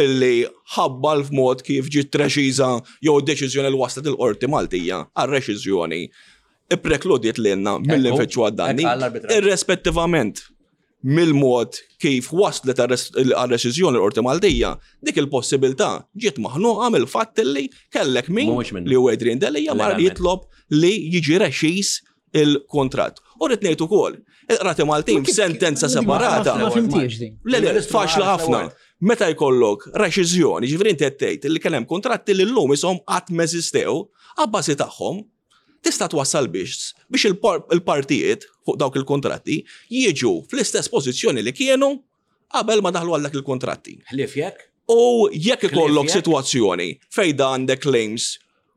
illi ħabba l-mod kif ġiet reċiża jew deċiżjoni li waslet il-qorti Maltija għar-reċiżjoni iprekludiet lilna mill Ekku, nfittxu għad-danni. hekk għall-arbitraġġ. Irrispettivament mill-mod kif waslet għal-reċiżjoni l-Qorti Maltija, dik il-possibilità ġiet maħnuqa mill-fatt li kellek min Mhuwiex minnu. li hu Adrian Delia mar Legalment. jitlob li jiġi reċiż il-kontratt. U rrid ngħid ukoll, il-Qrati Maltin f'sentenza separata. Ma fimtiex din. Le, le, Il-Ministru faċli ma ħafna. għaraf Meta jkollok reċiżjoni, ġifieri inti qed tgħid li kien hemm kontratti li llum ishom qatt m'eżistew, abbażi tagħhom tista' twassal biex biex il-partijiet fuq dawk il-kontratti jiġu fl-istess pożizzjoni li kienu qabel ma daħlu għal dak il-kontratti. Ħlief jekk? U jekk ikollok jekk? sitwazzjoni fejn da għandek claims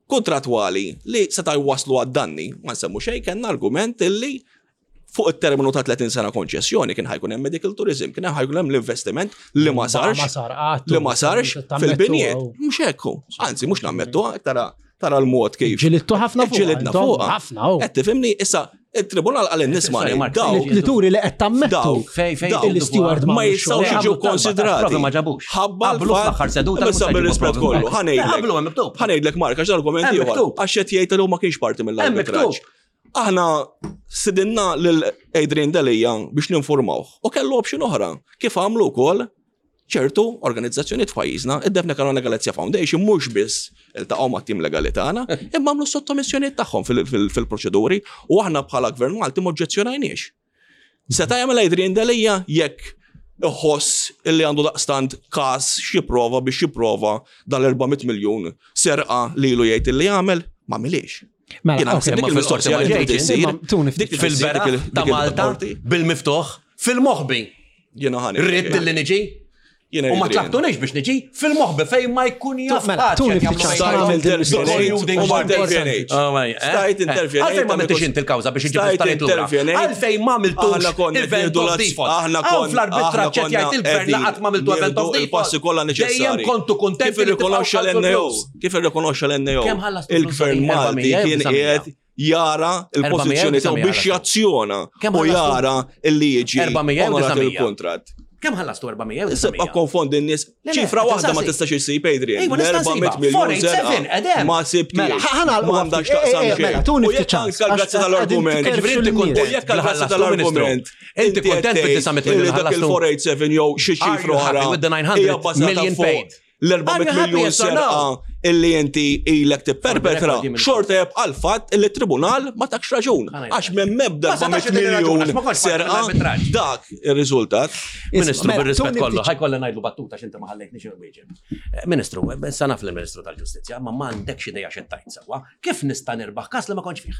kontratwali li seta' jwaslu għad-danni, ma nsemmu xejn kellna argument illi fuq it-terminu ta' 30 sena konċessjoni kien ħajkun hemm medical tourism, kien ħajkun hemm l-investiment li ma sarx, Ma sar qatt. li ma sarx fil-binjiet. Mhux hekk hu. Anzi, mhux nammettu, tara tara l-mod kif. Ġilittu ħafna fuq. Ġilidna intom, fuqha. Ħafna, u. Qed tifhimni issa it-tribunal qal nisma' Sorry, Mark, daw Li turi li qed tammettu. Daw. Fej, fej, Daw. Il-steward ma ma jistgħux għamlu jiġu talba, konsidrati. provi ma ġabux. Ħabba Qablu l-fatt- fl-aħħar seduta Issa mhux se bir-rispett jġibu kollu, provi. ħanejdlek. Qablu hemm miktub. Ħanejdlek Mark, għax l-argument Hemm ieħor. miktub. Għax qed jgħid li hu ma kienx parti Hemm mill-arbitraġġ. miktub. Aħna sidinna lil Adrian Delia biex ninformawh. U kellu option oħra. Kif għamlu wkoll ċertu organizzazzjonijiet f'pajjiżna, id-Daphne Caruana Galizia Foundation mhux biss iltaqgħu mat-tim legali tagħna, imma għamlu sottomissjonijiet tagħhom fil-proċeduri u aħna bħala Gvern Malti m'oġġezzjonajniex. Seta' jagħmel Adrian Delia jekk iħoss illi għandu daqstant każ x'jipprova biex jipprova dal-400 miljun serqa lilu jgħid illi għamel, ma għamilhiex. Mela, Jiena naħseb dik il-mistoqsija li trid issir. Fil-beraħ ta' Malta, bil-miftuħ, fil-moħbi. Jiena ħani. Rrid li niġi? U ma tlabtunix biex niġi fil-moħbi fejn ma jkun jaf. Mela, tuni ftit ċans nagħmel din Stajt u ma intervjenejt. Oh, eh? Stajt intervjenejt. Għalfejn ma għamiltix inti l-kawża biex iġib l-isptarijiet lura. Għalfejn ma għamiltux event of default. Aħna konna fl-arbitraġġ qed jgħid il-gvern li qatt ma għamiltu event of default. Il-passi kollha neċessarji. Dejjem kontu kuntent Kif irrikonoxxa l-NAO? Kif irrikonoxxa l-NAO? Il-gvern Malti kien qiegħed jara il-pożizzjoni tiegħu biex jazzjona u jara illi jiġi onorat il-kuntratt. Kemm ħallastu 400? Issa konfondi n-nies. Ċifra waħda ma tistax issib Adrian. 400 miljun zerqa. Ma sibtix. Mela, ħana Ma għandax taqsam eh, Mela, tuni ftit ċans. Jekk grazzi tal-argument. Inti kontent. Jekk grazzi tal-argument. Inti kontent bid-900 miljun dak il-487 jew xi ċifra oħra. With the 900 million paid. l-400 miljun serqa illi inti ilek tipperpetra, xorta jibqa' l-fatt illi tribunal ma takx raġun. Għax minn mebda 400 miljun serqa dak ir-riżultat. Ministru, Mela, bir-rispett tuni kollu, ftit- ħajkollha ngħidlu battuta x'inti ma ħallejtniex inwieġeb. Eh, Ministru, issa naf lill-Ministru tal-Ġustizzja, ma m'għandekx idea x'qed tgħid sewwa. Kif nista' nirbaħ każ li ma kontx fih?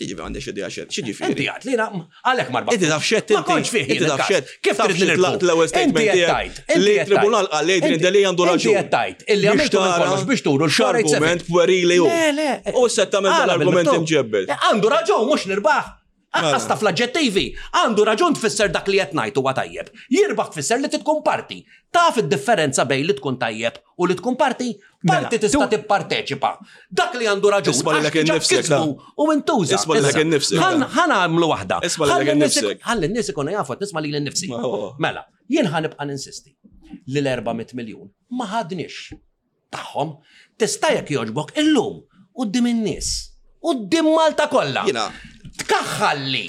Ġifieri għandek idea xed, x'ġifieri? Inti għad li għalhekk marba. Inti taf xed, Ma kontx fih. Inti taf xed. Kif Taf trid xed nirbu? laqt l-ewwel statement Inti qed tiegħek tgħid, inti Li qed tribunal tgħid. qal li Adrian Inti- Delia għandu raġun. Inti qed tgħid illi għamiltu minn kollox biex turu l-487. X'argument puerili hu. Le, le. U se tagħmel Għala dal-argument bil-miktub. imġebbel. Le, Għandu raġun mhux nirbaħ. Aqqas Mela. taf l-aġġettivi. Għandu raġun tfisser dak li qed ngħid huwa tajjeb. Jirbaħ tfisser li tkun parti. Taf id-differenza bejn li tkun tajjeb u li tkun parti? Mela, Parti tista' tu- tipparteċipa. Dak li għandu raġun. Isma' lilek għax diġà innifsek, kisbu U intuża. Isma' lilek Issa, innifsek, ħan- da. Ħan għamlu waħda. Isma' lilek Ħalli n-nies innifsek. Ħalli n-nies ikunu jafu qed nisma' lili nnifsi. Ma huwa. Mela, jien ħa nibqa' ninsisti li l-400 miljun ma ħadniex tagħhom tista' jekk jogħġbok illum quddiem in-nies, quddiem Malta kollha. Jiena- Tkaħħalli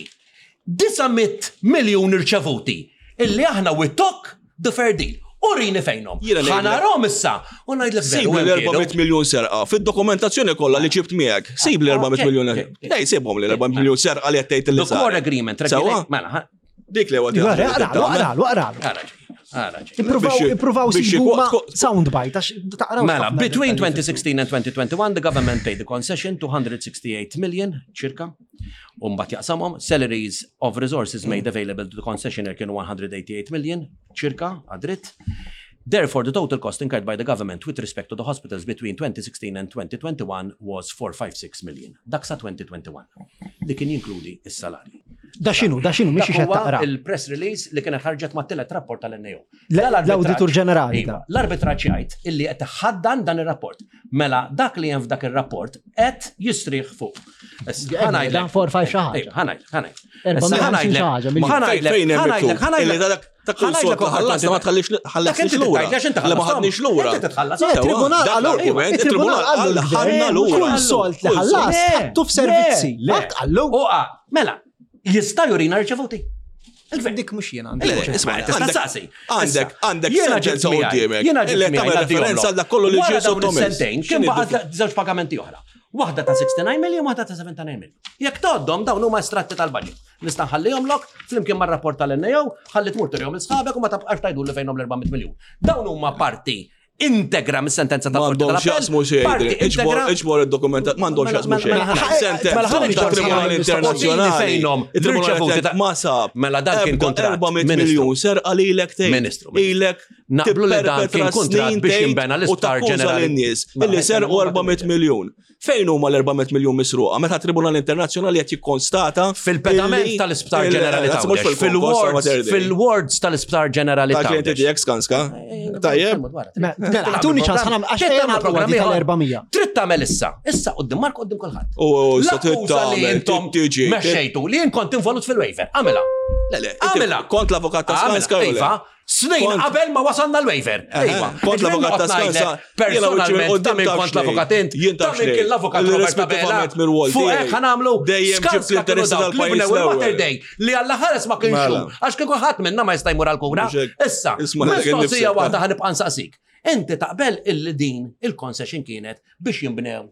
900 miljun irċevuti illi aħna we took the fair deal. Urini fejnhom. Jiena ngħidlek- Ħanarhom issa u ngħidlek veru Sib li hemm kienu. l-400 miljun serqa fid-dokumentazzjoni kollha li ġibt miegħek. Sib li 400 miljun. Dej sibhom li l-400 miljun serqa li qed tgħid li The core saret. agreement Sewwa? regulate. Mela, ħa- Dik li huwa Aqralu, aqralu, aqralu. ara ġej, ara ġej. Ippruvaw, Biex- ippruvaw biex sibu ma ko- soundbite, għax taqraw. Mela, ħafna between dettalji. 2016 and 2021, the government paid the concession 268 million, circa, u mbagħad jaqsamhom, salaries of resources made available to the concessionaire kienu 188 million, circa, għadritt. Therefore, the total cost incurred by the government with respect to the hospitals between 2016 and 2021 was 456 million. Dak sa 2021, li kien jinkludi is-salarji. Da xinu, da xinu, mhix Dak xed huwa taqra. il-press release li kienet ħarġet ma' tielet rapport tal-NAO. Le- Dal-arbitraġġ- l-Awditur Ġenerali Iva, da. L-arbitraġġ jgħid illi qed ħaddan dan ir-rapport. Mela dak li hemm f'dak ir-rapport qed jistrieħ fuq. Issa, Eh, ħa ngħidlek. dan four, five xi ħaġa. Iva, ħa ngħidlek, ħa ngħidlek. Erba' Issa, ħa mija ngħidlek, xi ħaġa, miljun. ħa ngħidlek, Fejn hemm ħa ngħidlek, miktub? ħa ngħidlek. Illi dak ta' kull Ħa sort ngħidlek li ħallasna ma tħallix Dak inti ħallasniex lura. tgħid, għax inti Li ma ħallashom. ħadniex lura. Inti titħallas. Le, Sewwa, tribunal dak qallu, l-argument, il-tribunal il-tribunal qallu qal ħadna l-gvern, lura. kull solt li Kull solt. ħallas, ħattu f'servizzi. Le, le. Dak qallu. Uqa, mela, jista' jurina rċevuti. Il-gvern. Dik mhux jiena għandi. Le, isma' Tista' għandek- saqsi. Għandek, Issa, għandek jiena ġibt sentenza miegħi, quddiemek. Jiena ġibt Illi miegħi tagħmel ngħaddihom referenza lok. għal dak kollu li Wara ġie dawn sottomess. is-sentejn kien X'inhi baqa' żewġ pagamenti oħra. Waħda ta' 69 million, waħda ta' 79 million. Jekk toddhom dawn huma estratti tal-budget. Nista' nħallihom lok flimkien mar-rapport tal-NAO, ħalli tmur turihom il-sħabek u ma tabqax tgħidu li fejnhom l-400 miljun. Dawn huma parti integra mis-sentenza tal-Qorti M'għandhom tal-Appell. x'jaqsmu xejn. Parti Iġbor integra iġbor id-dokumentat, m'għandhom Mela, x'jaqsmu mela, xejn. mela, ħana- Sentenza mela, ħana tat-Tribunal ġorġ- Internazzjonali. fejnhom Il-Tribunal l-irċevuti ta' ma sab. Mela dan kien ebda kuntratt, 400 Ministru. miljun serqa lilek tgħid. Ministru, Ministru. Ilek Naqblu li dan kien tipperpetra kuntratt snin biex tgħid jinbena u l-isptar takkuża ġenerali. lin-nies Mela, illi ejja, serqu ma 400 miljun. Fejn huma l-400 miljun misruqa? Meta Tribunal Internazzjonali qed jikkonstata Fil-pedament illi- tal-Isptar il- Ġenerali Mhux Tawdex, fil-wards, fil-wards, fil-wards tal-Isptar Ġenerali Ta' klienti Tawdex. tiegħek skanska. Tajjeb. Mela, tuni ċans ħana għax Trid ejja tagħmel nagħlqu programm għadi ieħor. tal-400. Trid tagħmel issa. Issa qudiem Mark qudiem kulħadd. U sa trid L-akkuża li tagħmel, intom trid tiġi, mexxejtu li jien kont involut fil-waiver. Għamilha. Le, le, inti Għamilha. Kont l-avukat ta' Għamilha, Skanska jew le? Iva, snin Kont- qabel ma wasalna l-waiver. Iva. Kont l-avukat ta' Skanska. Personalment, ta' min kont l-avukat int, Jien ta' taf min xejn. kien l-avukat Robert Abela. Irrispettivament mir-rwol Fuq tiegħi. hekk ħanamlu. Dejjem ġibt Skanska kienu l-interessi dawk li tal-pajjiż bnew il-Mater l-ewwel. Dei li għalla ħares ma kienx Mela. hu, għax kieku ħadd minna ma jista' jmur għall-kura. Mhux hekk. Issa, Isma' lilek mistoqsija innifsek, waħda ħanibqa' nsaqsik. Inti taqbel illi din il-concession kienet biex jinbnew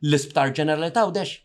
l-Isptar Ġenerali ta' Għawdex?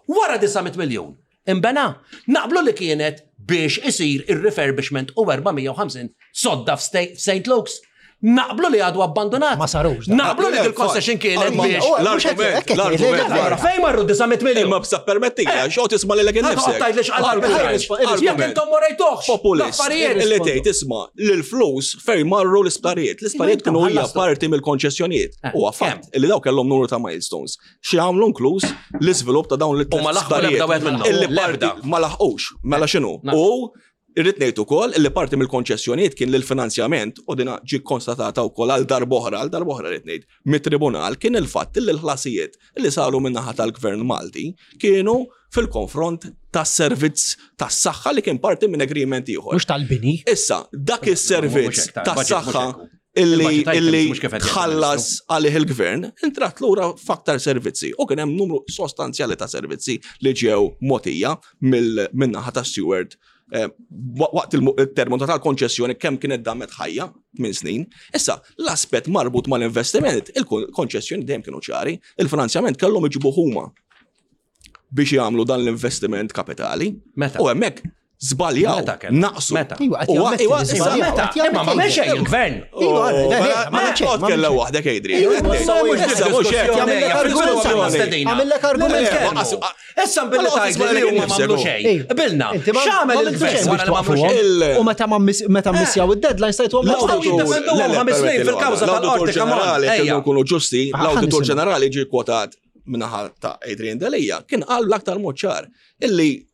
Wara 900 miljun. Imbena, naqblu li kienet biex isir il-refurbishment u 450 sodda f'St. Luke's. Naqblu li għadu abbandonat. Ma sarux, da. Naqblu li dil-concession kienet biex. L-argument, l-argument. Allora, Fejn marru 900 miljun? Imma bsa permetti, xo tisma li l-ek Ħa toqgħod tgħid li x'qal Argument, Jekk intom ma rejtuhx. Populist. L-affarijiet. Illi tgħid isma' li l-flus fejn marru l-isptarijiet. L-isptarijiet Intom kienu hija ħallastu. parti mill-konċessjonijiet. Eh, Huwa fatt illi daw kellhom numru ta' milestones. Xi għamlu inkluż l-iżvilupp ta' dawn U ma laħqu l-ebda wieħed minnhom. Illi parti L-ebda. ma laħqux, mela x'inhu. Naf. U irrid ngħid ukoll illi parti mill-konċessjonijiet kien l-finanzjament u dina ġi konstatata wkoll għal darb'oħra, għal darb'oħra rrid ngħid, mit-tribunal kien il-fatt li l-ħlasijiet li saru min-naħa tal-Gvern Malti kienu fil-konfront tas-servizz tas-saħħa li kien parti minn agreement ieħor. Mhux tal-bini. Issa, dak Mhux is-servizz hekk, ta' budget tas-saħħa mhux hekk. illi Il-budget items illi mhux kif qed jgħid tħallas għalih il-gvern, intrat lura f'aktar servizzi. U kien hemm numru sostanzjali ta' servizzi li ġew motija mill-naħa ta' Steward eh, wa- waqt il-terminu tal-konċessjoni kemm kienet damet ħajja minn snin. Issa, l-aspett marbut mal-investiment, il-konċessjoni dejjem kienu ċari, il-finanzjament kellhom iġibu huma biex jagħmlu dan l-investiment kapitali. Meta? U hemmhekk żbaljaw, Meta kellhom? naqsu. Meta? Iwa, qed U- jammetti iwa, li issa- żbaljaw, Meta? qed jammetti Imma ma li- xejn il-gvern. Iwa, le, le, Mela, ma xejn, ma Tkellem xejn. waħdek, Adrian. Iwa, Qed issa tgħid. mhux Issa mhux hekk. Jagħmel lek argument. Għamillek argument. Issa billi Mela, tajt li huma m'għamlu xejn. Ej, Bilna, Inti ma- x'għamel ma għamiltu il-gvern xejn wara biex li m'għamlu twaqfuhom. xejn? Il- U meta ma miss- meta missjaw id-deadline stajtu għom L-awditur- jiddefenduhom Le, le, ħames snin permetti fil-kawża l-għada. tal-qorti, L-Awditur come on, ġenerali, ejja. kienu nkunu ġusti, Ah, l-Awditur ħa nisimgħu. ġenerali ġie kwotat minnaħa ta' Adrian Delia, kien qal bl-aktar mod ċar illi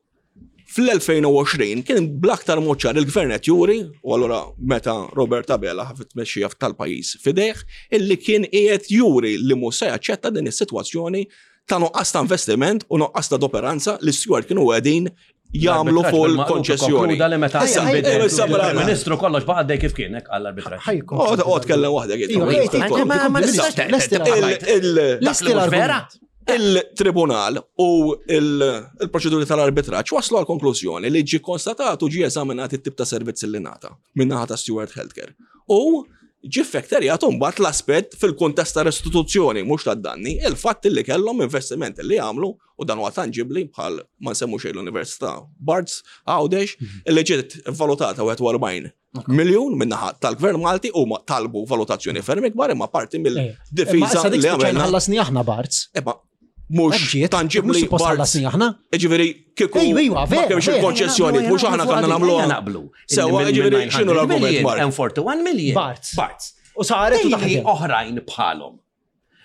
fl-2020 kien bl-aktar mod ċar il-gvern qed juri, u allura meta Robert Abela ħafet tmexxija tal-pajjiż fidejh, illi kien qiegħed juri li mhux se jaċċetta din is-sitwazzjoni ta' nuqqas ta' investiment u nuqqas ta' doperanza li Stewart kienu qegħdin jagħmlu fuq il-konċessjoni. Konkluda li meta Issa, inbidel issa, mela, il-Ministru kollox baqa' dej kif kien hekk għall-arbitraġġ. Ħajkom. Oh, oh, tkellem waħdek. Iva, Iva, ej, tkellem. Ma- ma Issa, nistax lesti tgħid- il- Lesti Dak li mhux vera? l-argument. Il-tribunal u il- il-proċeduri tal-arbitraġġ waslu għal konklużjoni li ġi konstatat u ġi eżaminat it-tip ta' servizz li nata minnaħa ta' Stewart Healthcare. U ġi fekterjat mbagħad l-aspett fil-kuntest ta' restituzzjoni mhux ta' danni, il-fatt li kellhom investiment li għamlu u dan huwa tanġibli bħal ma nsemmu xejn l-Università Barts Għawdex li ġiet valutata 41 miljun minnaħa tal-Gvern Malti u ma talbu valutazzjoni ferm ikbar imma parti Imma mill-difiża issa dik li spiċċajna għamilna. ħallasni aħna Barts. Eba, mux Ġiet, mhux tangibli suppost Barts. ħallasni aħna. Ġifieri, kieku Ejwa, ejwa, ma vera, kienx vera. il-konċessjoni, mux aħna konna nagħmluha. Ejja naqblu. Sewa, ġifieri, x'inhu l-argument, Mark? Hemm 41 million. Barts. Barts. U saret u Dejli taħdem. oħrajn bħalhom.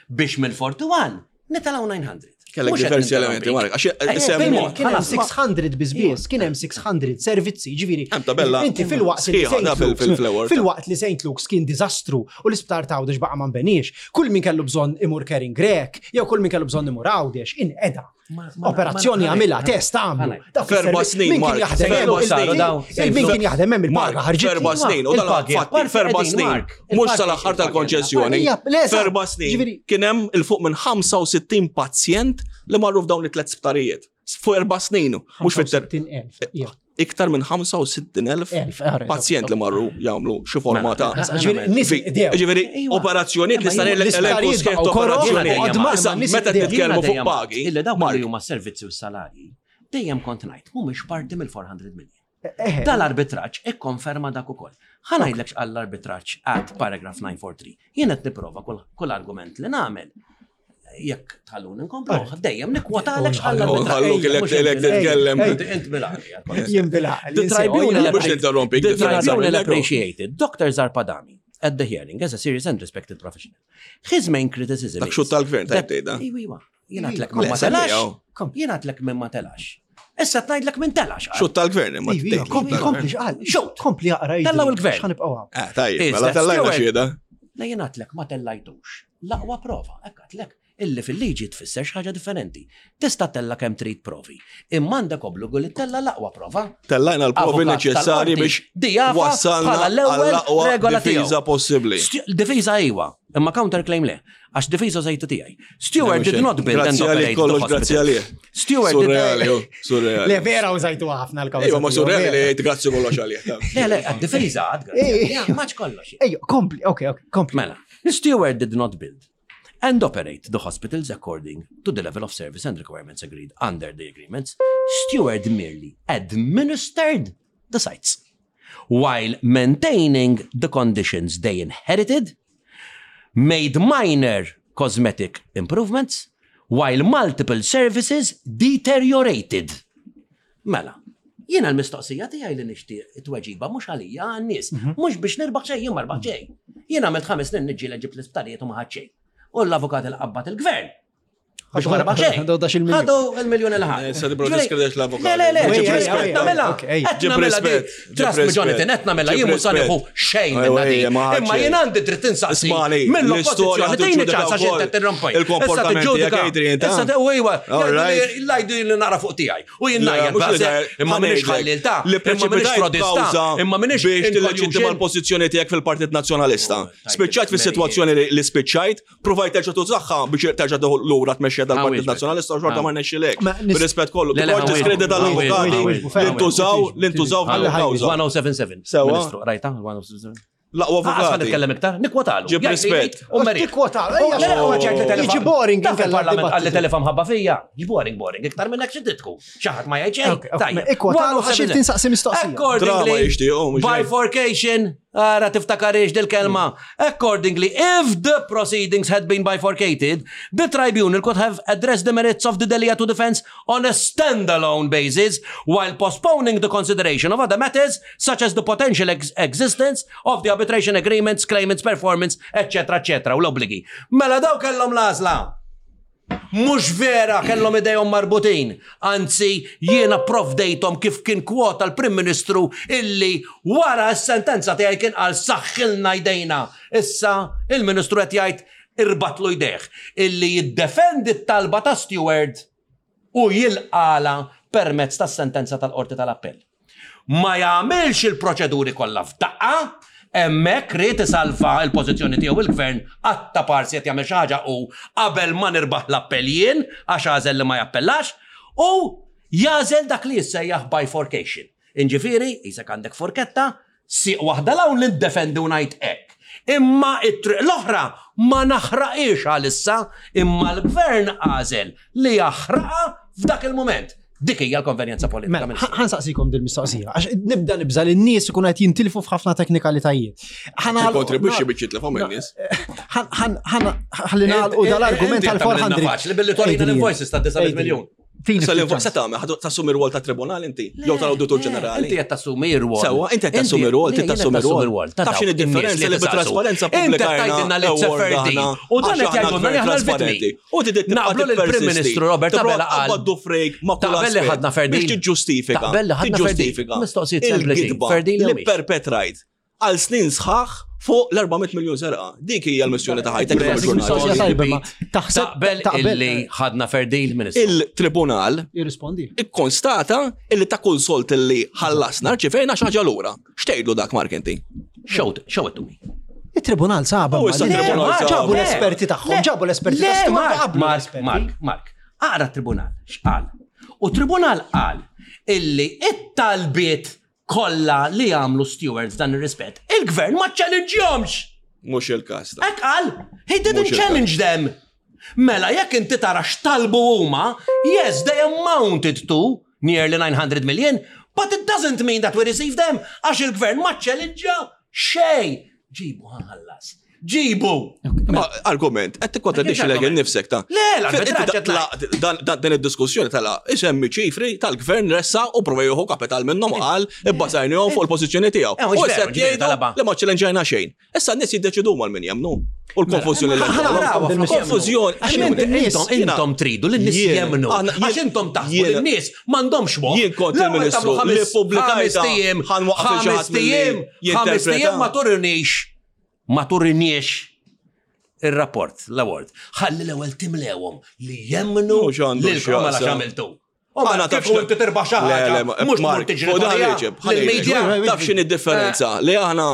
Biex mill-41 nitalgħu 900. Kellek Mhux qed diversi elementi, ninterrompik. Mark, għax Ejja, semmu- bil-mod, Kien hemm ħalas, ma- 600 biżbies, kien hemm 600 servizzi, ġifieri. Hemm tabella Inti fil-waqt li sħiħa St. da fil- Luke's- fil-flewor. Fil-waqt li St. Luke's kien diżastru u l-isptar ta' Għawdex baqa' ma nbenix, kull min kellu bżonn imur Kering Grek, jew kull min kellu bżonn imur Għawdex, inqeda. Ma- ma- Operazzjoni ma- għamilha, test għamlu. Ħanaj. Dawk F'erba' is-servizzi- snin, Min kien Mark, jaħdem f'erba' hemm saru dawn. il- min kien jaħdem hemm il-paga Mark, ħarġit. f'erba' snin, u dan Il-pagi, fatti, apparti f'erba' qegħdin, snin, Mark, mux il-pagi, sal-aħħar il-pagi tal-konċessjoni, Ija, le, eżatt. f'erba' snin, Ġifieri- kien hemm il-fuq minn 65 pazjent li marru f'dawn it-tlet sptarijiet. Fuq erba' snin, mhux fit-ter 65,000. Ija. iktar minn 65,000 Elf, għarri, pazjent li marru jagħmlu xi forma ta' Ġifieri, nies idew. Ġifieri, Iwa. operazzjonijiet li Imma stan jien- elenku l-isptarijiet sħiħ ta' baqgħu koroh, operazzjonijiet. għadma, Issa, imma nies meta idew. titkellmu fuq Jiena pagi, Illi dawk Mark, li huma servizzi u salarji, dejjem kont ngħid mhumiex parti mill-400 million. Eħe. Dal-arbitraġġ ikkonferma dak ukoll. Ħa ngħidlek x'qal l-arbitraġġ at paragraph 943. Jien qed nipprova kull kull argument li nagħmel. Jekk tħalluni nkomplu, dejjem nikkwotalek x'qal l-arbitraġġ. Nħalluk ilek Mhux inti- ilek titkellem. Inti int bil-għaqli. Jien bil-għaqli, The tribunal Mhux ninterrompi, The differenza tribunal mill-ekku. appreciated Dr. Zarpadami at the hearing as a serious and respected professional. His main criticism Dak is xut tal-gvern, tajb that- tgħidha. Iwa, iwa. Jien għadlek Le, minn ma telax. semmijaw. Jien għadlek minn ma telax. Issa tnajdlek minn telax. Xut tal-gvern, imma Iva, tgħid li Kompli, xut kompli, tal-gvern. xqal. Xut. Kompli jaqra. Tellaw il-gvern. X'ħanibqgħu hawn. Ah, tajjeb, Is mela that tellajna Stewart? xieda. Le jien għadlek ma tellajtux. L-aqwa prova, hekk għadlek. Illi fil-liġi tfisser xi ħaġa differenti. Tista' tella kemm trid provi. Imma għandek obbligu li tella l-aqwa prova. Tellajna l-provi neċessarji biex wassalna għall-aqwa regola difiża possibbli. Difiża iwa, imma counterclaim le. Għax difiża żejtu tiegħi. Stewart did not build and operate. Kollox grazzi għalih. Stewart Surreali, surreali. Le vera użajtu ħafna l-kawża. Ejwa, ma surreali li grazzi kollox għalih. Le, le, difiża għad. Maċ kollox. Ejja, kompli, ok, ok, kompli. Mela, Stewart did not build and operate the hospitals according to the level of service and requirements agreed under the agreements. Steward merely administered the sites while maintaining the conditions they inherited, made minor cosmetic improvements, while multiple services deteriorated. Mela, jiena l-mistoqsija tiegħi li nixtieq it-tweġiba mhux għalija għan-nies, mhm. mhux biex nirbaħ xejn, jien ma rbaħ xejn. Jien għamilt ħames snin niġġieled ġibt l-isptarijiet u ma ħadd xejn. U l-avukat il-qabbat il-gvern. Biex ma rbaħ xejn. Ħadu il-miljun il ħadd. Sa tibro diskredit l-avukat. Le, le, le, qed nagħmilha. Qed nagħmilha di. Trust me Jonathan, qed nagħmilha jien mhux sa nieħu xejn minn di. Imma jien għandi dritt insaqsi. Mill-oppożizzjoni tini ċans għax inti tirrompoj. Il-komportament tiegħek Adrian. Issa iwa, lajdu li nara fuq tiegħi. U jien ngħajjat imma minix ħallil ta' li imma minix frodista, imma minix biex tilleġittima l-pożizzjoni tiegħek fil-Partit Nazzjonalista. Oh, spiċċajt fis-sitwazzjoni li spiċċajt, provajt terġa' tużaħħa biex terġa' tieħu lura tmexxija dal-Partit Nazzjonalista u xorta ma rnexxilek. Bir-rispett kollu, tipprova tiskredita dal-avukati li ntużaw li ntużaw f'dal-kawża. 1077. Sewa. Rajta, 1077. L-aqwa avukati. Għasma nitkellem iktar, nikwotalu. Ġib rispett. U merit. Tikwotalu. Jiġi boring il-parlament għalli telefon ħabba fija. Jiġi boring, boring. Iktar minn hekk xi titku. Xi ħadd ma jgħid xejn. Tajjeb. Ikkwotalu għax tinsaqsi mistoqsija. Accordingly, bifurcation, ara tiftakarix dil-kelma. Accordingly, if the proceedings had been bifurcated, the tribunal could have addressed the merits of the Delia to defense on a standalone basis while postponing the consideration of other matters such as the potential ex existence of the arbitration agreements, claimants performance, etc. etc. u l-obbligi. Mela daw kellhom l-għażla. Mhux vera kellhom idejhom marbutin. Anzi, jiena provdejthom kif kien kwota l-Prim Ministru illi wara s-sentenza tiegħi kien qal saħħilna jdejna. Issa il-Ministru qed jgħid irbatlu jdejh illi jiddefendi t-talba ta' Steward u jilqagħlha permezz tas-sentenza tal-Qorti tal-Appell. Ma jagħmilx il-proċeduri kollha f'daqqa, hemmhekk ried isalva l-pożizzjoni tiegħu il-Gvern qatta parsi qed jagħmel xi ħaġa hu qabel ma nirbaħ l-appell jien għax għażel li ma jappellax u jagħżel dak li jissejjaħ bifurcation. Inġifieri, qisek għandek forketta, Sieq waħda 'l hawn li ndefendi u ngħid hekk. Imma t-triq l-oħra ma naħraqhiex għalissa imma l-Gvern għażel li jaħraqha f'dak il-mument. Dik hija l-konvenjenza politika. Mela, ħa nsaqsikom dil-mistoqsija, għax nibda nibża li n-nies ikunu qed jintilfu f'ħafna teknikalitajiet. Kontribwixxi biex jitlefhom in-nies. Ħalli nagħlqu dal-argument tal-400. Faċli billi torina l-invoices ta' 9 miljun. Tini Sal se tagħmel, tassumi r-rwol ta' tribunal inti, jew tal-awditur ġenerali. Inti qed tassumi r-rwol. Sewwa, inti qed tassumi r-rwol, trid tassumi r-rwol. Taf x'inhi differenza li bit-trasparenza pubblika. Inti tgħidilna li t-seferdin. U dan qed jgħidulna li aħna l-vittmi. U trid Naqblu li l-Prim Ministru Robert Abela qal. Għaddu frejk ma' kull Taqbel li ħadna Ferdin. Biex tiġġustifika. Taqbel li ħadna Ferdin. Mistoqsijiet sempliċi. Ferdin li perpetrajt għal snin sħaħ fuq l-400 miljon serqa. Dik hija l-missjoni ta' ħajtek. Taħseb taqbel li ħadna fair deal, Ministru. Il-tribunal jirrispondi. Ikkonstata illi ta' kull solt li ħallasna rċivejna xi ħaġa lura. X'tgħidlu dak Mark inti? Show it, show it to me. Il-tribunal saba. Ġabu l-esperti tagħhom, ġabu l-esperti tagħhom. Mark, Mark, Mark, aqra t-tribunal, x'qal? U tribunal qal illi it-talbiet kollha li għamlu stewards f'dan ir-rispett, il-gvern ma ċċellinġjomx! Mhux il-każ. Hekk qal, he didn't challenge them. Mela jekk inti tara x'talbu huma, yes, they amounted to nearly 900 million, but it doesn't mean that we received them għax il-gvern ma ċċellinġja xejn. Ġibu ħallas. Ġibu! Ma argument, qed tikkontradixxi lek innifsek ta' Le, l-arbitraġġ din id-diskussjoni tala isemmi ċifri tal-gvern ressa u prova jieħu kapital minnhom qal ibbażajnihom fuq il-pożizzjoni tiegħu. Eh, U issa jgħidu li ma ċċellenġajna xejn. Issa n-nies jiddeċidu mal min jemmnu. U l-konfużjoni li Konfużjoni. Għax intom tridu li n-nies jemmnu. Għax intom taħsbu li n-nies m'għandhomx moħħ. Jien kont il-Ministru li ppubblikajta ħames tijiem, ħames tijiem ma turinix, ma turiniex. Ir-rapport, l-award. Ħalli l-ewwel timlewhom li jemmnu Mhux għandu lilkom għala x'jaqsam. x'għamiltu. U ma kif inti tirbaħ xi ħaġa, mhux tmur tiġri lill-media. Taf x'inhi differenza li aħna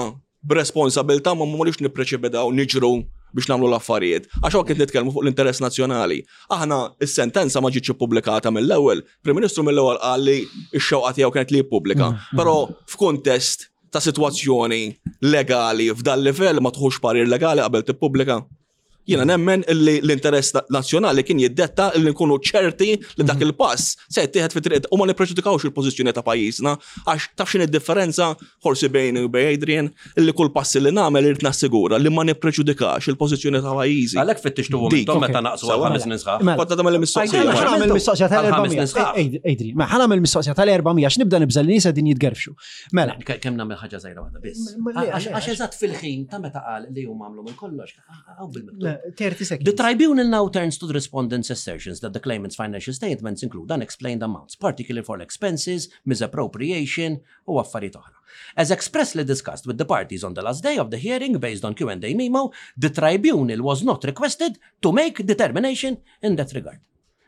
b'responsabilta ma mmorux nippreċipidaw niġru biex nagħmlu l-affarijiet. Għax hawn kien nitkellmu fuq l-interess nazzjonali. Aħna is-sentenza ma ġietx ippubblikata mill-ewwel. Prim Ministru mill-ewwel qal li x-xewqa tiegħu kienet li jippubblika. Però f'kuntest ta' sitwazzjoni legali f'dal livell ma tħux parir legali qabel tippubblika. Jiena nemmen illi l-interess nazzjonali kien jiddetta illi nkunu ċerti li dak mhm. il-pass se jittieħed fi triq u ma nippreġudikawx il-pożizzjoni ta' pajjiżna għax taf x'inhi differenza forsi bejn u bejn Adrian illi kull pass li nagħmel irid nassigura li ma nippreġudikax il-pożizzjoni ta' pajjiżi. Għalhekk fittixtu intom meta naqsu għal ħames snin sħaħ. Mela. Kont nagħmel il-mistoqsija. Nagħmel mistoqsija tal-400. Adrian, ma ħanagħmel mistoqsija tal-400 għax nibda nibża' li nies din jitgerfxu. Mela. Kemm nagħmel ħaġa żgħira waħda biss. Għax eżatt fil-ħin ta' meta qal li huma għamlu minn kollox, hawn bil-miktub. 30 seconds. The tribunal now turns to the respondent's assertions that the claimant's financial statements include unexplained amounts, particularly for expenses, misappropriation u affarijiet oħra. As expressly discussed with the parties on the last day of the hearing based on Q&A memo, the tribunal was not requested to make determination in that regard.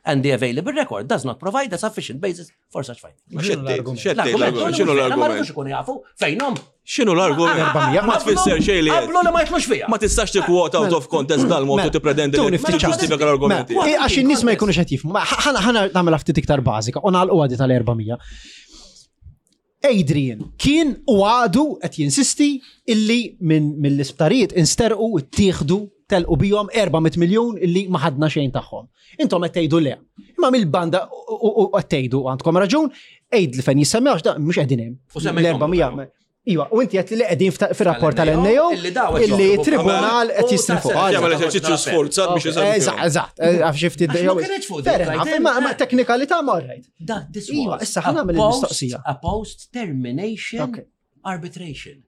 And the available record does not provide a sufficient basis for such finding. X'inhu l-argument? Ma rridux ikunu jafu fejnhom. X'inhu l-argument? Ma tfisser xejn li. Qablu li ma jitlux fiha. Ma tistax tikkwota out of context dal-mod u tippretendi li tiġġustifika l-argumenti. Għax in-nies ma jkunux qed jifhmu. Ħana nagħmel ftit iktar bażika u nagħlqu għadi tal-400. Adrian kien u għadu qed jinsisti illi minn mill-isptarijiet insterqu ttieħdu telqu bihom 400 miljun illi ma ħadna xejn tagħhom. Intom qed tgħidu le. Imma mill-banda u qed tgħidu għandkom raġun, għid li fejn jissemmewx da mhux qegħdin hemm. L-400 Iva, u inti qed li qegħdin fir-rapport tal-NAO illi tribunal qed jistrifu. Jagħmel eżerċizzju sforzat biex eżatt. Eżatt, għaf xi ftit. Ma teknikalità ma rajt. Iva, issa ħa nagħmel il-mistoqsija. A post-termination arbitration.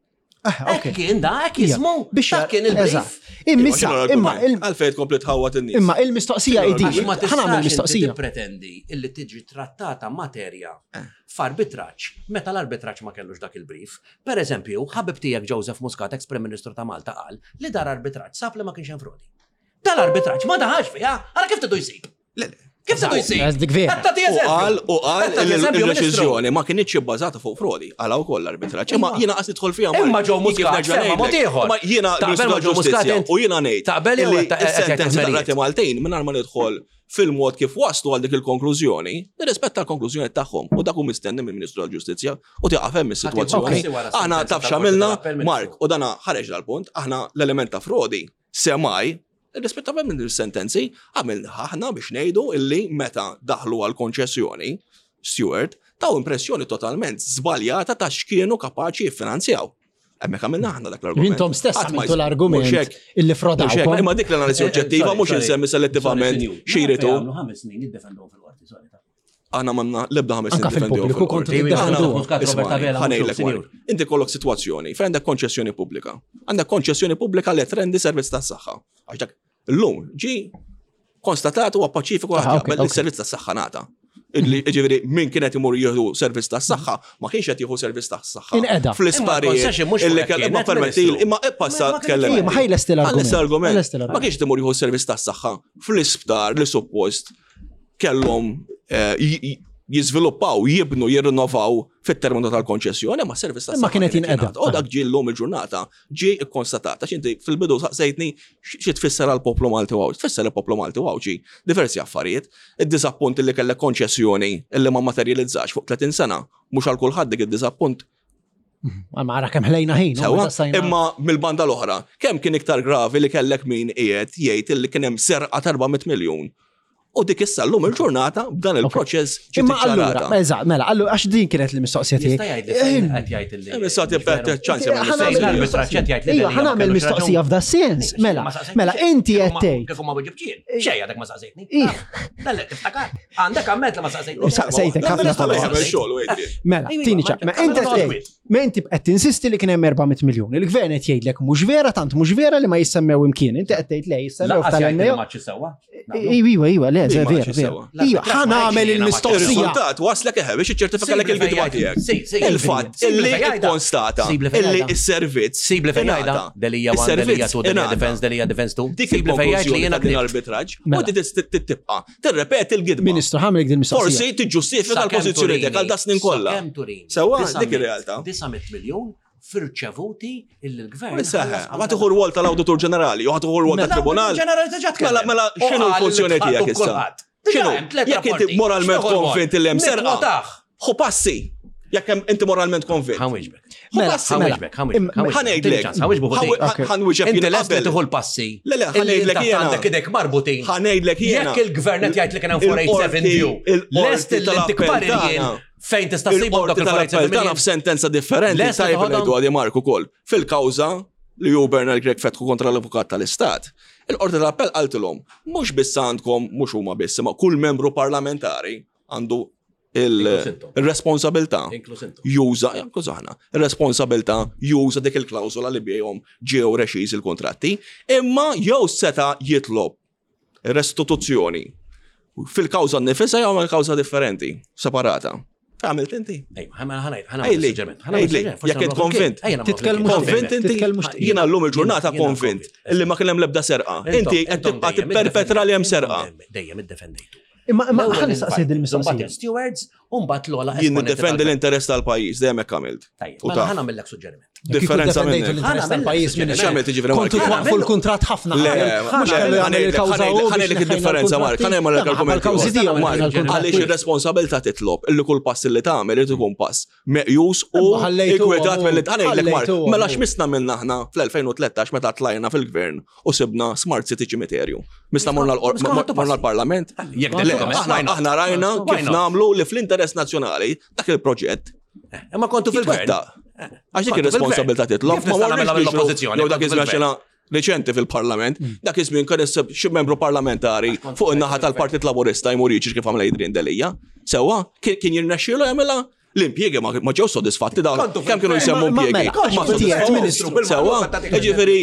Ah, ok. Kien da, hekk jismu. Biex dak kien il-brief. Immissa, imma għalfejn tkompli tħawwat in-nies. Imma il-mistoqsija idi. Ħa nagħmel mistoqsija. Pretendi illi tiġi trattata materja eh. f'arbitraġġ meta l-arbitraġġ ma kellux dak il-brief. Per eżempju, ħabib tiegħek Joseph Muscat, ex-Prim Ministru ta' Malta, qal li dar arbitraġġ sab li ma kienx hemm frodi. Dal-arbitraġġ ma daħax fiha, ara kif tidu jsib. Le, le. Kif se jsir? Dik vera. U qal u qal il-deċiżjoni ma kienx ibbażata fuq frodi, għala wkoll l-arbitraġġ. Imma jiena qas nidħol fiha. Imma ġew Muscat semma mod ieħor. Imma jiena Taqbel ma ġew Muscat u jiena ngħid. Taqbel jew is-sentenzi tal-Rati Maltin mingħajr ma nidħol fil-mod kif waslu għal dik il-konklużjoni, nirrispetta l-konklużjoni tagħhom u dak hu mistenni mill-Ministru tal-Ġustizzja u tieqaf hemm is-sitwazzjoni. Aħna taf x'għamilna, Mark, u dana ħareġ dal-punt, aħna l-element ta' frodi semaj Irrispettivament minn sentenzi, għamilna aħna biex ngħidu illi meta daħlu għal konċessjoni, Steward, taw impressjoni totalment żbaljata ta' x'kienu kapaċi jiffinanzjaw. Hemmhekk għamilna aħna dak l-argument. Intom stess għamiltu l-argument illi frodawkom. Imma dik l-analiżi eh, eh, oġġettiva mhux insemmi selettivament xiritu. Ħames snin jiddefendhom fil-qorti, sorry. Aħna manna l-ebda ħames Anka fil-pubbliku kontu tiddefendu. Inti kollok sitwazzjoni fejn għandek konċessjoni pubblika. Għandek konċessjoni pubblika li trendi servizz tas-saħħa. Għax dak illum ġi konstatat huwa paċifiku ah, il-servizz tas-saħħa ngħata. Ġifieri min kienet imur jieħdu servizz tas-saħħa ma kienx qed jieħu servizz tas-saħħa. Inqeda. Fl-isparijiet. Illi kellha ma permetti imma ippassa tkellem. Ma ħajlest l-argument. Ma kienx imur jieħu servizz tas-saħħa fl-isptar li suppost kellhom eh, jiżviluppaw, jibnu, jirrinnovaw fit-terminu tal-konċessjoni, ma servizz ta' Ma kienet jinqeda. U dak ġie llum il-ġurnata, ġie kkonstatat. Għax inti fil-bidu saqsejtni xi tfisser għall-poplu Malti u Għawdxi. Tfisser il-poplu Malti u Għawdxi diversi affarijiet. Id-diżappunt li kellek konċessjoni illi ma materializzax fuq 30 sena, mhux għal kulħadd dik id-diżappunt Ma ara kemm ħlejna ħin. Sewa, imma mill-banda l-oħra, kemm kien iktar gravi li kellek min qiegħed jgħid li kien hemm serqa ta' 400 miljun U dik issa llum il-ġurnata b'dan il-proċess ġiet Imma allura, eżatt, mela, allura għax din kienet l-mistoqsija tiegħi. Jista' jgħid li fejn qed jgħid li. Issa tibqa' ċans Iva, ħa nagħmel mistoqsija f'da sens. Mela, mela inti qed tgħid. Kif ma weġibtx Xejn għadek ma saqsejtni. Dalla tiftakar. Għandek amment li ma saqsejtni. Saqsejtek ħafna Mela, tini ċa. Ma inti tgħid, ma inti qed tinsisti li kien hemm 400 miljun. Il-gvern qed jgħidlek mhux vera, tant mhux vera li ma jissemmew imkien. Inti qed tgħid le jissemmew tal-NAO. Iva, iva, le. Le, le, vera, vera. Ija, ħa nagħmel il-mistoqsija. Ir-riżultat waslek eħe biex iċċertifika lek il-gidba tiegħek. Il-fatt illi konstata illi s-servizz. Sibli fejn għajda. Delija 1, Delija 2, Delija Defense, Delija Defense 2. Dik il-konklużjoni li jiena din arbitraġġ u tibqa' tirrepeti l-gidba. Ministru, ħamlek din mistoqsija. Forsi tiġġustifika l-pożizzjoni tiegħek għal dasnin kollha. Sewwa dik ir-realtà. 900 miljun firċevuti illi l-gvern. Seħe, ma tieħu rwol tal-Awditur Ġenerali, jew tieħu rwol tat-Tribunal. Ġenerali diġà Mela, mela x'inhu l-funzjoni tiegħek issa? X'inhu? Jekk inti moralment konvint li hemm serqa. Ħu passi. Jekk hemm inti moralment konvint. Ħanwiġbek. Mela, ħanwiġbek, ħanwiġbek. Ħanejdlek. Ħanwiġbek. Ħanwiġbek. Inti lest li tieħu l-passi. Le, le, ħanejdlek jiena. Għandek idek marbutin. Ħanejdlek jiena. Jekk il-gvern qed jgħid li kien hemm 487 view. Lest li tikbar jien Fejn tista' ssibhom dawk il-affarijiet? Tagħna f'sentenza differenti tajjeb ngħidu għadi Mark ukoll. Fil-kawża li hu Bernard Grech fetħu kontra l-Avukat tal-Istat, il-Qorti tal-Appell qaltilhom mhux biss għandkom mhux huma biss imma kull membru parlamentari għandu il-responsabilità juża, inkluż aħna, il-responsabilità juża dik il-klawżola li bihom ġew rexiż il-kontratti, imma jew seta' jitlob restituzzjoni fil-kawża nnifisha jew għamel kawża differenti, separata. Għamilt inti? Ejli, jekk int konvint. Titkellmu konvint inti? Jiena llum il-ġurnata konvint illi ma kien hemm l-ebda serqa. Inti qed tibqa' tipperpetra li hemm serqa. Dejjem iddefendejtu. Imma imma ħa nistaqsi din il-mistoqsija. Stewards u mbagħad l-ogħla Jien niddefendi l-interess tal-pajjiż, dejjem hekk għamilt. Tajjeb, mela ħa nagħmellek suġġeriment. Differenza minn l-interess tal-pajjiż minn x'għamilt jiġifieri Kontu twaqqfu l-kuntratt ħafna. Le, mhux kellu jagħmel il-kawża hu. Ħanejlek id-differenza Mark, ħanejlek l-argument. Kawżi tiegħu Għaliex ir-responsabilità titlob illi kull pass li tagħmel irid ikun pass meqjus u ikkwetat mill ħanejlek Mark. Mela x'misna minna aħna fl-2013 meta tlajna fil-gvern u sibna Smart City ċimiterju. Mista morna l-Parlament. Aħna rajna kif namlu li fl-interess nazzjonali dak il-proġett. Eh, imma kontu fil-gvern. Eh, għax dik ir-responsabilità titlob. Ma morniex l-oppożizzjoni. Jew dak iż-żmien reċenti fil-parlament, mm. dak iż-żmien kien xi membru parlamentari fuq in-naħa tal-Partit Laburista jmur jiġri kif għamel Adrian Delia. Sewwa, kien jirnexxielu jagħmilha L-impjiegi ma ġew sodisfatti dawn. Kemm kienu jsemmu impjiegi? Ma sodisfatti. Sewwa, jiġifieri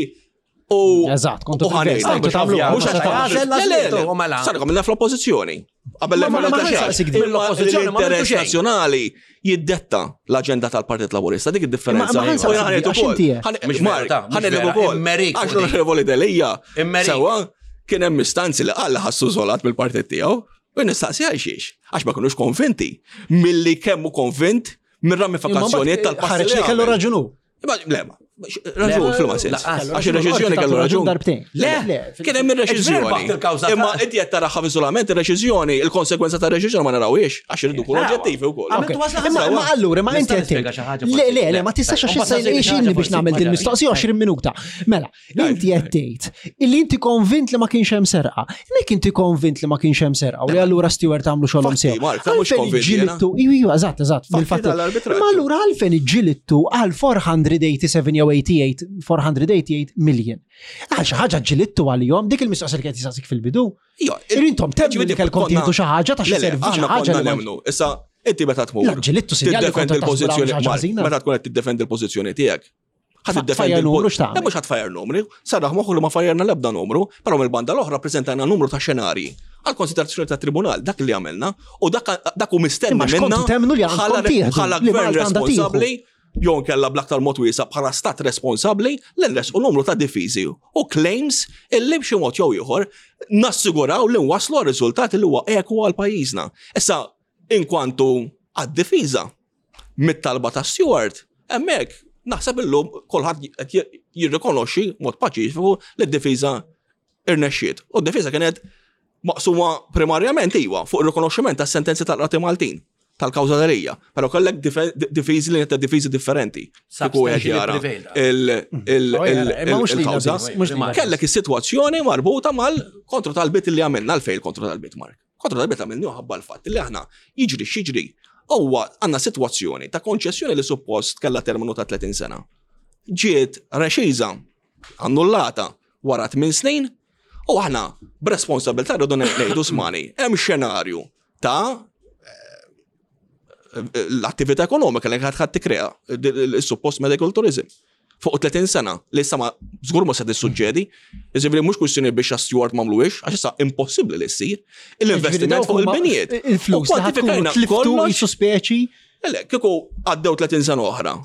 U Eżatt, kontu fil-gvern. Mhux għax Sarkom minna fl-oppożizzjoni. Qabel l-oppożizzjoni l-interess nazzjonali jiddetta l-aġenda tal-Partit Laburista, dik id-differenza. Ħanejt ukoll. Għax l-Onorevoli Delija. Sewwa kien hemm istanzi li qal ħassu żolat mill-partit tiegħu. U nistaqsi għal xiex, għax ma kinux konvinti milli kemmu konvint mir-ramifikazzjonijiet tal-passi. Ħareġ li kellu raġunu. Le, ma, raġun fil-ma sens. Għax il-reċiżjoni kellu raġun. Darbtejn. Le, kien hemm ir-reċiżjoni. Imma inti qed taraħħa f'iżolament ir-reċiżjoni, il-konsegwenza ta' reċiżjoni ma narawhiex għax irridu nkunu oġġettivi wkoll. Imma allura ma inti qed Le, le, le, ma tistax għax issa jxinni biex nagħmel din mistoqsija 20 minuta. Mela, Inti qed tgħid illi inti konvint li ma kienx hemm serqa. Mek inti konvint li ma kienx hemm serqa u li allura Stewart għamlu xogħolhom sew. Għalfejn ġilittu, iva, eżatt, eżatt, bil-fatt. Ma allura għalfejn iġġilittu għal 487 jew 88, 488 million. Għal xi ħaġa ġilittu għalihom, dik il-mistoqsija li kienet jistaqsik fil-bidu. Intom temmu li kellkom tieħdu xi ħaġa ta' xi servizz xi ħaġa. Nemmnu. Issa inti meta tmur. Ġilittu sinjal li kontu l-pożizzjoni. Meta tkun qed tiddefendi l-pożizzjoni tiegħek. Ħa tiddefendi numru x'tagħmel. Mhux ħadd fajjar numri, sarraħ moħħu li ma fajjarna l-ebda numru, però mill-banda l-oħra preżentajna numru ta' xenarji għal konsiderazzjoni ta' tribunal dak li għamilna u dak hu mistenni minna bħala gvern responsabbli jew nkella bl-aktar mod wiesa' bħala stat responsabbli li nresqu numru ta' difiżi u claims illi b'xi mod jew ieħor nassiguraw li nwasslu għal riżultat li huwa ekwu għal pajjiżna. Issa inkwantu għad-difiża mit-talba ta' Stewart, hemmhekk naħseb illum kulħadd qed jirrikonoxxi mod paċifiku li d-difiża irnexxiet. U d-difiża kienet maqsuma primarjament iwa fuq ir-rikonoxximent tas-sentenzi tal-qrati Maltin tal-kawża Delia. Però kellek difiżi li ta' difiżi differenti. Kieku wieħed jara il-kawża. Kellek is-sitwazzjoni marbuta mal-kontro tal-bit li għamilna għalfejn il-kontro tal-bit Mark. Kontra tal-bit għamilni ħabba l-fatt li aħna jiġri x'jiġri huwa għandna sitwazzjoni ta' konċessjoni li suppost kellha terminu ta' 30 sena. Ġiet rexiża, annullata wara 8 snin u aħna b'responsabilità rridu ngħidu smani, hemm xenarju ta' eh, l-attività ekonomika li ħadd tikrea il-suppost medical tourism. Fuq 30 sena li issa ma żgur ma se tissuġġedi. Jiġifieri mhux kwistjoni biex Steward m'għamluhiex, għax issa impossibbli li ssir. Il-investiment fuq il-binjiet. Il-flus li ħatkunu tliftu jisu speċi. Le, kieku għaddew 30 sena oħra.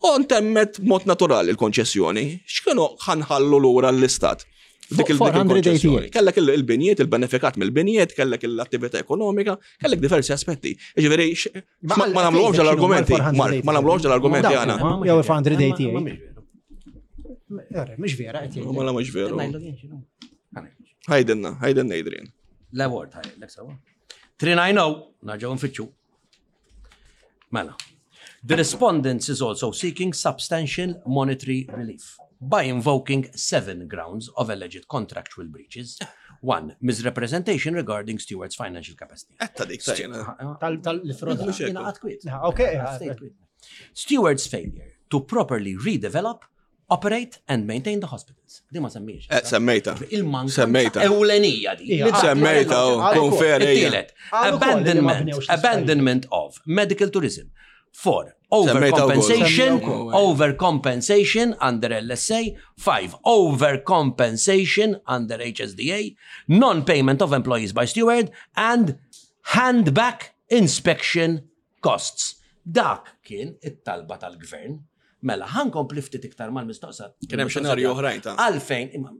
U ntemmet mod naturali l-konċessjoni, x'kienu ħanħallu lura l-istat? Dik il-konċessjoni. Kellek il-binjiet, il-benefikat mill-binjiet, kellek l-attività ekonomika, kellek diversi aspetti. Ġifieri, ma nagħmluhomx l-argumenti, Mark, ma nagħmluhomx l-argumenti għana. Jew 488. Mhux vera qed jgħid. Mela mhux veru. Ħajdenna, ħajdenna Adrian. L-award ħajlek sawa. 390, naġgħu nfittxu. Mela. The respondents is also seeking substantial monetary relief by invoking seven grounds of alleged contractual breaches. One, misrepresentation regarding Stewart's financial capacity. Etta dik tajna. Tal-froda. Okay. Stewart's failure to properly redevelop Operate and maintain the hospitals. Di ma semmiex. Eh, semmejta. Il-manka. Semmejta. Ewlenija di. Semmejta, oh, konferi. Abandonment, abandonment of medical tourism. Four, overcompensation, overcompensation under LSA. Five, overcompensation under HSDA. Non-payment of employees by steward and hand back inspection Costs. Dak kien it-talba tal-gvern. Mela, ħa nkompli ftit iktar mal-mistoqsa. Kien hemm xenarji oħrajn ta' Għalfejn, imma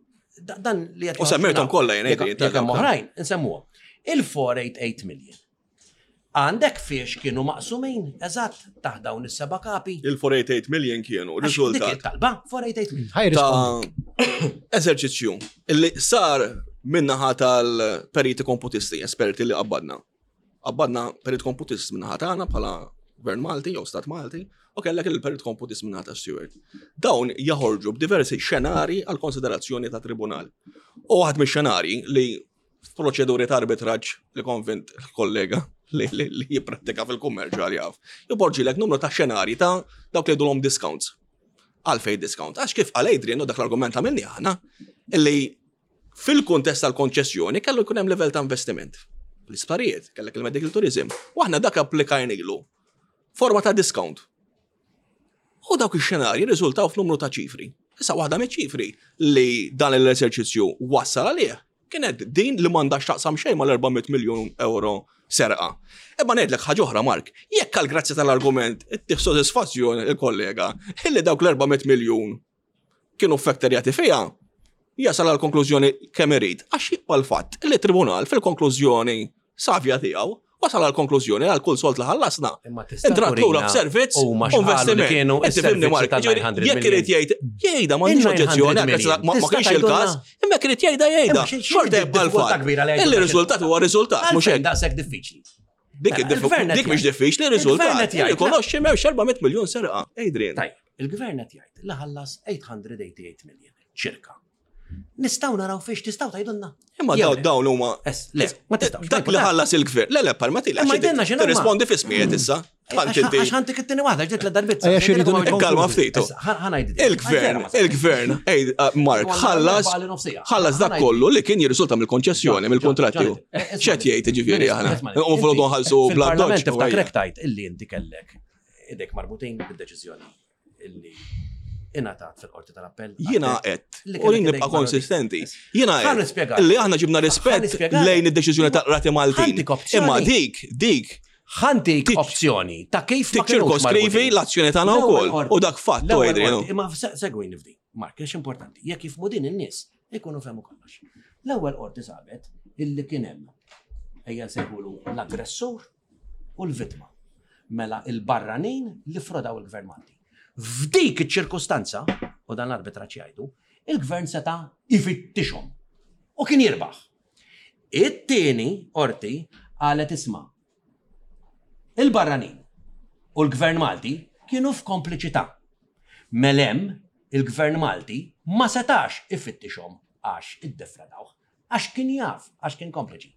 dan li qed. U semmejthom kollha jien jekk hemm oħrajn, insemmuhom. Il-488 million. Għandek fiex kienu maqsumin, eżatt, taħt dawn is-seba' kapi. Il-488 million kienu riżultat. Talba, 488 million. Ta' eżerċizzju illi sar minnaħa tal-periti komputisti, esperti li qabbadna. Qabbadna perit komputist minnaħa tagħna bħala Gvern Malti jew Stat Malti u kellek il-perit komputist minnaħa ta' Stewart. Dawn jaħorġu b'diversi xenari għal konsiderazzjoni ta' tribunal. U waħed mix-xenari li f'proċeduri ta' arbitraġġ li konvint kollega li, li, li jipprattika fil-kummerċ għal jaf, joporġilek numru ta' xenari ta' dawk li jgħidulhom discounts. Għalfej discount? Għax kif għal Adrian u dak l-argument għamilni aħna, illi Fil-kuntest tal-konċessjoni kellu jkun hemm livell ta' investiment. L-isptarijiet, kellek il-medical tourism, u aħna dak applikajnilu forma ta' discount. U dawk ix-xenarji rriżultaw f'numru ta' ċifri. Issa waħda miċ-ċifri li dan l-eżerċizzju wassal għalih kienet din li m'għandha x'taqsam xejn mal-400 miljun euro serqa. Imma ngħidlek ħaġa oħra Mark, jekk għal grazzja tal-argument ittih sodisfazzjon il-kollega illi dawk l-400 miljun kienu ffekterjati fiha, jasal għal konklużjoni kemm irid, għax jibqa' l-fatt li t-tribunal fil-konklużjoni savja tiegħu wasal għal konklużjoni għal kull sold li ħallasna. Intrat lura f'servizz u investiment. Inti fimni Mark, jekk irid jgħid, jgħidha m'għandix oġġezzjoni, ma kienx il-każ, imma jekk irid jgħidha jgħidha. Xorta jibqa' l-fatt. Illi riżultat huwa riżultat, mhux hekk. Daqshekk diffiċli. Dik mela, dik mhix diffiċli riżultat. Rikonoxxi m'hemmx 400 miljun serqa. Adrian. Tajjeb, il-gvern qed jgħid li ħallas 888 million ċirka. Nistgħu naraw fiex tistgħu tgħidulna. Imma dawn huma. Le, ma tistgħux. Dak li ħallas il-gvern. Le, le, permetti, le. Tirrispondi f'ismijiet issa. Għax ħantik it-tieni waħda, ġiet l-darbit. Kalma ftit. Il-gvern, il-gvern, uh, Mark, ħallas, ħallas dak kollu li kien jirriżulta mill-konċessjoni, mill-kontratti. ċet jgħid ġifieri aħna. U flok nħallsu bla Fil-parlament tiftakrek tajt illi inti kellek idek marbutin bid-deċiżjoni illi ingħatat fil-qorti tal-appell. Jiena qed, u jien nibqa' konsistenti. Jiena qed li aħna ġibna rispett lejn id-deċiżjoni ta' qrati Maltin. Imma dik, dik Ħantik opzjoni ta' kif ma ċirkoskrivi l-azzjoni tagħna wkoll u dak fatt Adrian. Imma segwini f'di, Mark, għax importanti. Jekk jifmu din in-nies, ikunu fehmu kollox. L-ewwel qorti sabet illi kien hemm ejja nsejħulu l-aggressur u l-vittma. Mela il-barranin li frodaw il-Gvern Malti. F'dik iċ-ċirkustanza, u dan l-arbitraġġ jgħidu, il-Gvern seta' jfittixhom u kien jirbaħ. It-tieni qorti qalet isma' il-barranin u l-Gvern Malti kienu f'kompliċità. Mela hemm il-Gvern Malti ma setax ifittixhom għax iddefradawh. Għax kien jaf, għax kien kompliċi.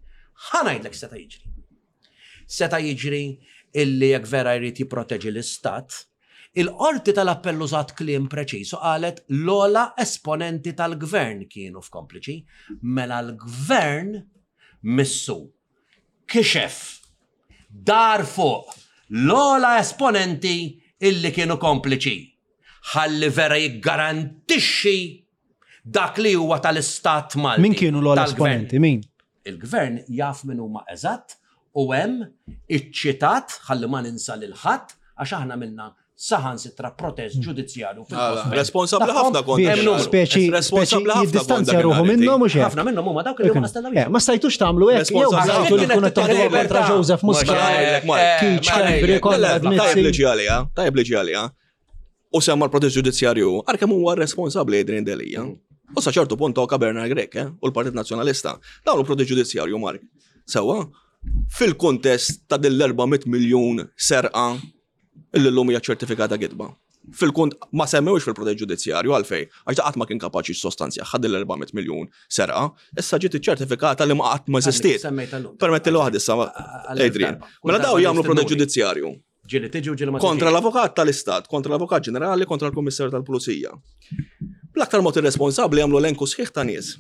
Ħa ngħidlek x'seta' jiġri. Seta' jiġri illi jekk vera jrid jipproteġi l-istat, il-Qorti tal-Appell użat kliem preċiż u qalet l-ogħla esponenti tal-Gvern kienu f'kompliċi, mela l-Gvern missu kixef dar fuq l-ogħla esponenti illi kienu kompliċi. ħalli vera jiggarantixxi dak li huwa tal-Istat Malti. Min kienu l-ogħla esponenti? Min? Il-gvern jaf min huma eżatt u hemm iċ-ċitat ħalli ma ninsa lil ħadd għax aħna minna saħansitra protest ġudizzjarju fil-konfront. Responsabbli ħafna kont. Speċi Responsabbli ħafna jiddistanzja ruħu minnhom u xejn. Ħafna minnhom huma dawk li huma stella Eh, Ma stajtux tagħmlu hekk jew bżajtu li tkunu taħdu kontra Joseph Muscat. Keith Schembri, Konrad Tajb Mizzi. li ġi għalija, tajb li ġi għalija. U semma l-protest ġudizzjarju, għar kemm huwa responsabbli Adrian Delia. U sa ċertu punt tokka Bernard Grech eh, u l-Partit Nazzjonalista. Dawn il-protest ġudizzjarju, Mark. Sewa, fil-kontest ta' din l-400 miljun serqa illi l-lum hija ċertifikata gidba. Fil-kont ma semmewx fil-protest ġudizzjarju għalfej, għax da qatt ma kien kapaċi sostanzja ħad l-400 miljun serqa, issa ġiet iċċertifikata li ma qatt ma eżistiet. Permetti l waħd issa, Adrian. Mela daw jagħmlu protest ġudizzjarju. Ġieli tiġi u ġieli ma Kontra l-avukat tal-Istat, kontra l-avukat ġenerali, kontra l-Kummissarju tal-Pulizija. Bl-aktar mod irresponsabbli jagħmlu elenku sħiħ ta' nies.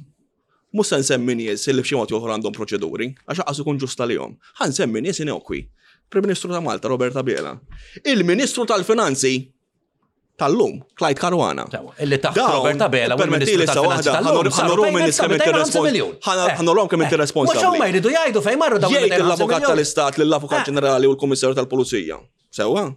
Mhux se nsemmi nies li b'xi mod jew ieħor għandhom proċeduri, għax aqas ikun ġust għalihom. Ħa nsemmi nies inokwi. Prim Ministru ta' Malta, Robert Abela. Il-Ministru tal-Finanzi tal-lum, Clyde Caruana. Illi taħt Robert Abela u l-Ministru tal-Finanzi tal-lum. Ħanorom in-nies kemm inti responsabbli. Ħanorom kemm inti responsabbli. Mhux huma jridu jgħidu fejn marru dawn Jgħid l-Avukat tal-Istat lill-Avukat Ġenerali u l-Kummissarju tal-Pulizija. Sewwa?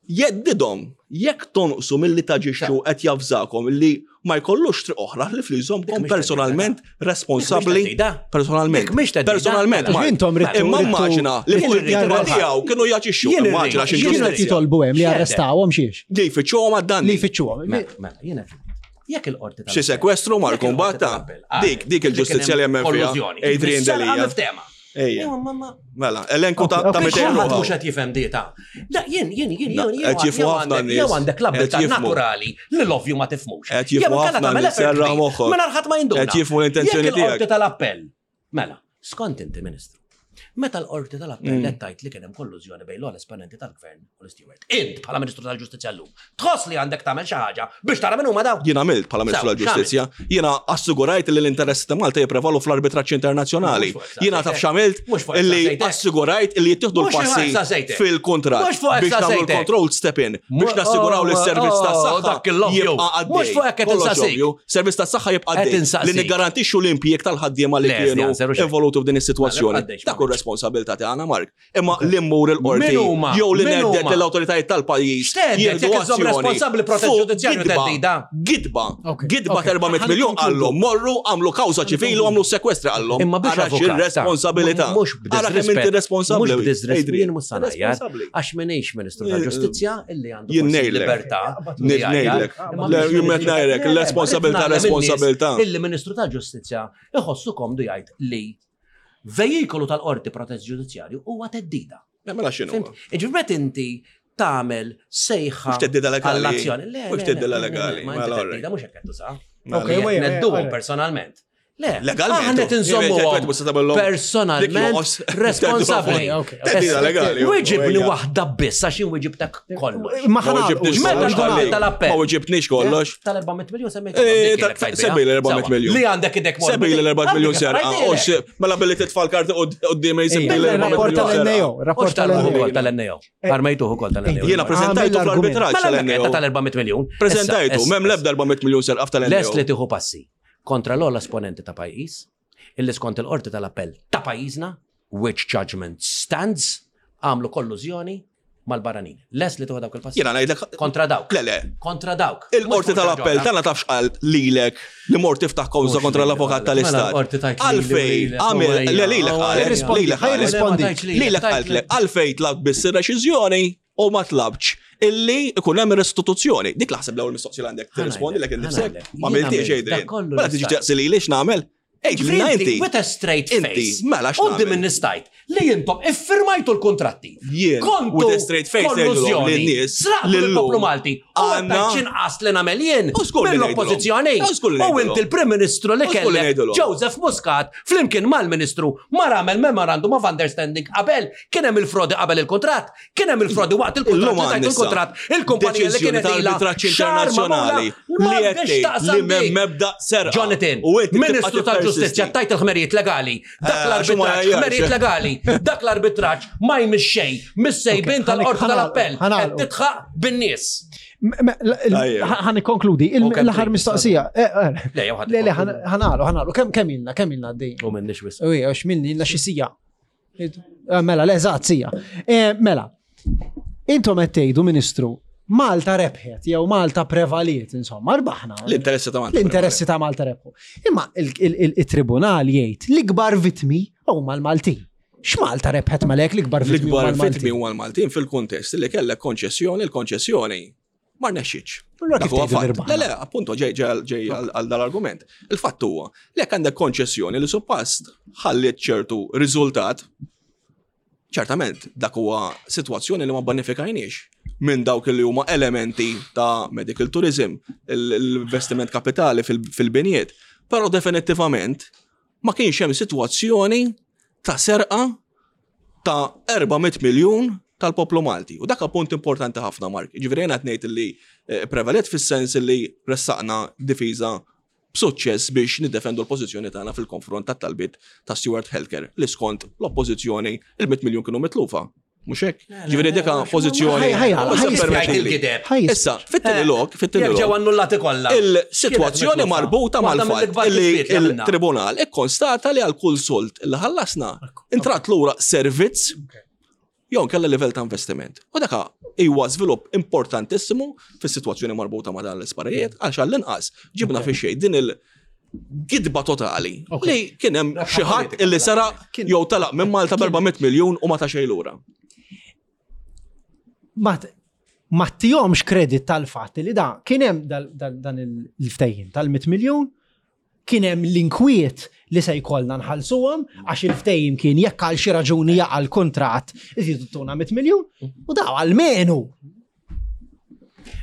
Jeddidhom jekk tonqsu milli taġixxu qed javżakom li ma jkollux triq oħra li fliżomkom personalment responsabbli. Personalment. Personalment. Intom rittu. Imma immaġina li fuq il-kitba tiegħu kienu jaġixxu. Immaġina xi Kienu qed jitolbu hemm li arrestawhom xiex. Li jfittxuhom għad-danni. Li jfittxuhom. Mela, jiena jekk il-qorti Xi sekwestru mar kumbatta. Dik dik il-ġustizzja li hemm fiha. Adrian Delia. Ejja. Mela, elenku ta' 200 ruħ. Mhux qed jifhem dieta. Da jien jien jien jien qed jifhmu ħafna nies. Jew għandek l-abilità naturali li l-ovvju ma tifhmux. Qed jifhmu ħafna nies serra moħħok. Mela ħadd ma jinduna. Qed jifhmu l-intenzjoni tiegħek. Il-qorti tal-appell. Mela, skont inti Ministru. Meta l-qorti tal-appell qed tgħid li kien hemm kollużjoni bejn l-ogħla esponenti tal-gvern u l-Steward. Int bħala Ministru tal-Ġustizzja llum, tħoss li għandek tagħmel xi ħaġa biex tara min huma dawk? Jien għamilt bħala Ministru tal-Ġustizzja, jiena assigurajt li l-interessi ta' Malta jipprevalu fl-arbitraġġ internazzjonali. Jiena taf x'għamilt illi assigurajt illi jittieħdu l-passi fil-kuntratt biex nagħmlu l-control step in biex nassiguraw li s-servizz tas-saħħa jibqa' għaddej. Mhux fuq hekk qed insaqsik. Servizz tas-saħħa jibqa' għaddej. Li niggarantixxu l-impjieg tal-ħaddiema li kienu involuti f'din is-sitwazzjoni. Dak hu r-responsabilità tagħna, Mark. Imma li mmur il-qorti jew li ngħedded lill-awtoritajiet tal-pajjiż. Jekk iżomm responsabbli protest ġudizzjarju theddida. Gidba. Gidba 400 miljun qallhom morru għamlu kawża ċivili u għamlu sekwestri qallhom. Imma biex avukat. Ir-responsabilità. Mhux Ara kemm inti responsabbli. Mhux b'disrespett jien mhux sa ngħajjar għax m'iniex Ministru tal-Ġustizzja illi għandu Jien ngħidlek. libertà. Ngħidlek. Jien qed ngħidlek, l-responsabilità responsabilità. Illi Ministru tal-Ġustizzja iħossu komdu jgħid li vejikolu tal-qorti protest ġudizzjarju huwa teddida. Mela x'inhu? Ġifieri meta inti tagħmel sejħa Mhux teddida legali. għall-azzjoni. Le, Mhux le, teddida le, le, legali, Ma mela, inti alright. teddida mhux hekk qed tuża. Ok, wait, Nedduhom personalment. Le, Legalment. Aħna qed inżommuhom personalment responsabbli. Ok, ok. Teddida legali. Wieġibni waħda biss għax jien wieġibtek kollox. Ma Ma ħana weġibtniex Meta kollox, l-qorti ħalli. tal-appell. Ma weġibtniex kollox. Tal-400 miljon semmejt. Eh, semmi l-400 miljun. Li għandek idek morbi. Sebbi l-4 miljon serqa. Mela billi titfa' l-karti qudiem jsibbi Ejja, l-4 Rapport miljon serqa. tal-NAO, rapport tal-NAO. tal-NAO. Armejtuh ukoll tal-NAO. Jiena preżentajtu Għamel fl-arbitraġġ Mela l tal-NAO. tal-400 miljun. Preżentajtu, Issa, m'hemm l-ebda 400 miljun serqa Lest li tal-NAO. tieħu passi kontra l-ogħla esponenti ta' pajjiż, illi skont il-qorti tal-appell ta' pajjiżna, which judgment stands, għamlu kollużjoni mal-barranin. Lest li tieħu dawk il-passi. Jiena ngħidlek Kontra dawk. Le, le. Kontra dawk. Il-qorti Mhux tal-appell kontra tagħna tafx qal lilek li mort tiftaħ kawża Mhux kontra lili l-avukat qalet. Mela tal-istat. l-qorti tajt lili u Għalfej, lilek, għamil, u le lilek ejja, qalet, Ħajrispondi, lilek qalet. ħajrispondi. Ma tajtx lilek, Lilek tajt qaltlek, għalfej tlabt biss ir-reċiżjoni u ma tlabx illi ikun hemm restituzzjoni. Dik laħseb l-ewwel mistoqsija li għandek tirrispondi lek innifsek. Ħa ngħidlek. Ma għamiltiex Jien għamilt Adrian. dak kollu Mela li tiġi stajt. taqsi lili x'nagħmel? Ej, Inti, inti. with a straight Inti, face. mela x'nagħmel? Qudiem in-nistajt li intom iffirmajtu l-kontratti. Jien, Kontu with a straight face ngħidulhom kollużjoni, lin-nies Sraqtu li llum l-poplu Malti. U għandna- għandna xinqas li nagħmel jien U żgur li mill-oppożizzjoni. ngħidulhom. U żgur li U ngħidulhom. inti l-Prim Ministru li U żgur li kellek ngħidulhom. Joseph Muscat flimkien mal-Ministru mar għamel memorandum of understanding qabel kien hemm il-frodi qabel il-kontratt, kien hemm il-frodi waqt il-kontratt, Illum li tajtu għandna issa il-kontratt, il-kumpanija li deċiżjoni kienet ta' ilha arbitraġġ xahar internazzjonali magħmula, li qed m'għandix tgħid taqsam li m'hemm dik. mebda serqa. Jonathan, U inti tibqa' Ministru tal-Ġustizzja. tal-ġustizzja tajt il-ħmerijiet legali. Dak Eh, għax huma l-arbitraġġ, jgħajjarx. ħmerijiet legali. Dak l-arbitraġġ ma jmiss xejn, mis-sejbin Ok, tal-qorti tal-appell. ħanagħlqu. Qed titħaq bin-nies. Tajjeb. Ħan ikkonkludi, U kemm l-aħħar trid, mistoqsija. Eh, eh. Le, jew ħadd Le, le, ikkonkludi. ħanalu, ħanalu, kemm kemm ilna, kemm ilna għaddejjin? U minnix wisq. Uj, għax minni ilna xi sija. Eh, Mela, le, eżatt, sija. Eh, Mela, intom qed tgħidu, Ministru, Malta rebħet, jew Malta prevaliet, insomma, rbaħna. L-interessi ta' Malta. L-interessi ta' Malta rebħu. Imma il-tribunal jgħid l-ikbar vitmi huma l-Maltin. X'Malta rebħet malek l-ikbar vitmi huma L-ikbar l-Maltin? vitmi huwa l-Maltin fil-kuntest li kellek konċessjoni, il-konċessjoni ma rnexxitx. Allura Dak kif huwa tgħidu fatt. li rbaħna? Le, le, appunto ġej ġej ġej għal għal dal-argument. Il-fatt huwa li jekk għandek konċessjoni li suppost ħalliet ċertu riżultat, ċertament dak huwa sitwazzjoni li ma banifikajniex minn dawk li huma elementi ta' medical tourism, l-investiment kapitali fil- fil-binijiet. Però definittivament ma kienx hemm sitwazzjoni ta' serqa ta' 400 miljun tal-poplu Malti. U dak punt importanti ħafna, Mark. Ġifieri jiena qed ngħid li eh, prevalet fis-sens li ressaqna difiża b'suċċess biex niddefendu l-pożizzjoni tagħna fil-konfront tat-talbiet ta' Stewart Healthcare li skont l-oppożizzjoni il-100 miljun kienu mitlufa. Mhux hekk? Ġifieri dika pożizzjoni. Ħaj- ħaj- Mhux se ħaj- permettili. il-gideb. Ħaj- Issa, fit-tieni lok, fit-tieni Jekk ġew lok, annullati kollha. il-sitwazzjoni Kienet mitlufa. marbuta Waħda mal-fatt mill-ikbar li kisbiet li għamilna. il-tribunal ikkonstata li għal kull solt li ħallasna intrat lura servizz jew kella livell ta' investiment. U daka huwa żvilupp importantissimu fis-sitwazzjoni marbuta ma' dan l-isparijiet għax għall-inqas ġibna fi xejn din il-gidba totali Ok. li kien hemm Rebħa xi ħadd politika, illi seraq Kien- jew talaq minn Malta b'400 miljun u ma ta' xejn lura. Ma ma tihomx kredit tal-fatt li da kien hemm dal- dal- dan il-ftehim tal-100 miljun, kien hemm l-inkwiet li se jkollna nħallsuhom għax il-ftehim kien jekk għal xi raġuni jaqa' l-kuntratt iżidu tuna 100 miljun u daw għalmenu.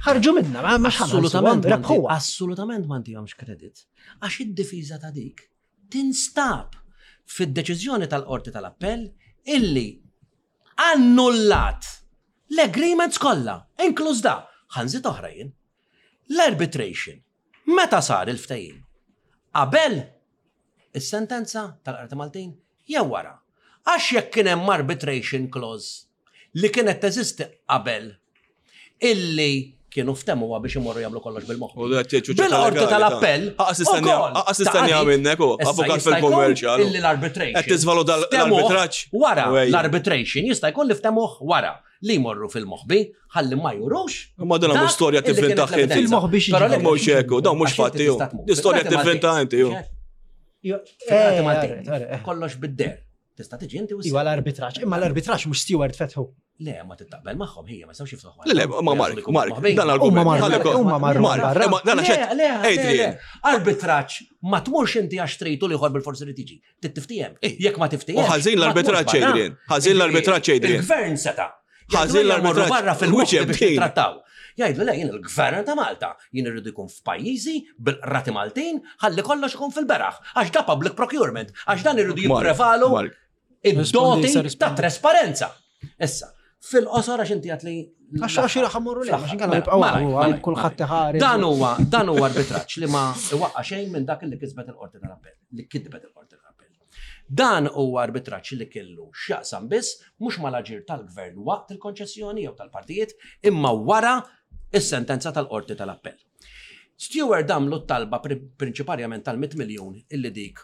Ħarġu minna, ma ma Assolutament, x'ħanħallsuhom, rebħuha. assolutament ma ntihomx kredit. Għax id-difiża ta' dik tinstab fid-deċiżjoni tal-qorti tal-appell illi annullat l-agreements kollha, inkluż da, ħanżit oħrajn, l-arbitration. Meta sar il-ftehim? Qabel is-sentenza tal-Qorti Maltin jew wara. Għax jekk kien hemm arbitration clause li kienet teżisti qabel illi kienu ftemuha biex imorru jagħmlu kollox bil-moħħ. Bil-qorti tal-appell. ukoll Aqas istennija ta' minnek u Issa avukat jista' jkun fil-kummerċjal. Illi l-arbitration. Qed tiżvaluta ftemuh l-arbitraġġ. Wara Wejja. l-arbitration jista' jkun li ftemuh wara li jmorru fil-moħbi ħalli ma jurux. Ma dan mhux dak storja illi kienet tivvinta l-evidenza. inti. Fil-moħbi xi Però ġifieri. le- Mhux hekk, dawn mhux Għax inti fatti, ju. tista' tmur. Di storja Fil-Qrati tivvinta Maltin. inti, ju. Fil-Qrati Eh, Maltin. eh, eh. Kollox bid-der. Tista' tiġi inti u Iwa l-arbitraġġ, imma l-arbitraġġ mhux Stewart fetħu. Le, ma tittaqbel magħhom hija ma jistgħux jiftħu. Le, le, ma Mark, Mark, dan Huma l-argument. marru- Ħalli kol- huma marru Mark, barra. imma dan Le, għax le, le, Adrian. le. Arbitraġġ ma tmurx inti għax trid u liħor bil-forsi li tiġi. Tittiftiem. Ej. Jekk ma tiftiem. U ħażin l-arbitraġġ, Adrian. Ħażin l-arbitraġġ, Adrian. Il-gvern seta. Ħażin l-arbitraġġ. Barra fil-moħħ Which biex team? nittrattaw. Jgħidlu le, jien il-gvern ta' Malta, jien irridu jkun f'pajjiżi bil-qrati Maltin, ħalli kollox ikun fil-beraħ, għax da public procurement, għax dan irridu Mark, jipprevalu Mark. Rispondi, id-doti issa ta' rispondi. trasparenza. Issa, fil-qosor għax inti għat li. Għax għax ħammurru le, għax inkella Mela, nibqgħu malaj, għal malaj, kulħadd malaj. iħares. Dan huwa dan huwa arbitraġġ li ma iwaqqa xejn minn dak li kisbet il-qorti tal-appell, li kitbet il-qorti tal-appell. Dan huwa arbitraġġ li kellu x'jaqsam biss mhux mal-aġir tal-gvern waqt il-konċessjoni jew tal-partijiet, imma wara is-sentenza tal-qorti tal-appell. Stewart damlu t-talba pri- prinċiparjament tal-100 miljun illi dik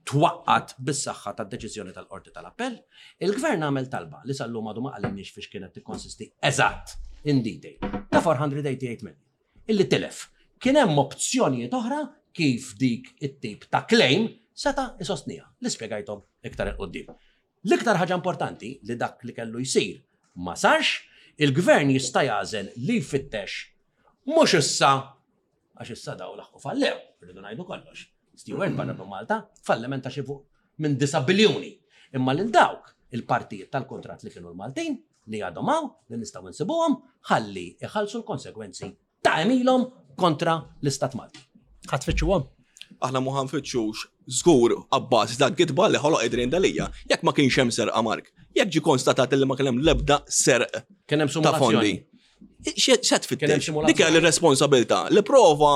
twaqqat bis-saħħa tad-deċiżjoni tal-qorti tal-appell, il-gvern għamel talba li sal-lum għadu ma qalilniex fiex kienet tikkonsisti eżatt in detail ta' 488 million illi tilef. Kien hemm opzjonijiet oħra kif dik it-tip ta' claim seta' isostnija li spjegajthom iktar il qoddim. L-iktar ħaġa importanti li dak li kellu jsir ma sarx, il-gvern jista' jażel li jfittex mhux issa għax issa daw laħqu fallew, rridu ngħidu kollox. Stewart barra minn Malta falliment ta' xi fuq minn 9 biljuni. Imma lil dawk il-partijiet tal-kontrat li kienu l-Maltin li għadhom hawn li nistgħu nsibuhom ħalli iħallsu l-konsekwenzi ta' emilhom kontra l-Istat Malti. Ħadd tfittxuhom. Aħna mu ħanfittxux żgur abbażi ta' gidba li ħoloq Adrian Dalija. Jekk ma kienx hemm serqa Mark, jekk ġi konstatat li ma kien hemm l-ebda serq Kien hemm ta' fondi. simulazzjoni. Xe Kien hemm tfittex? simulazzjoni. Dik hija l-responsabilità li prova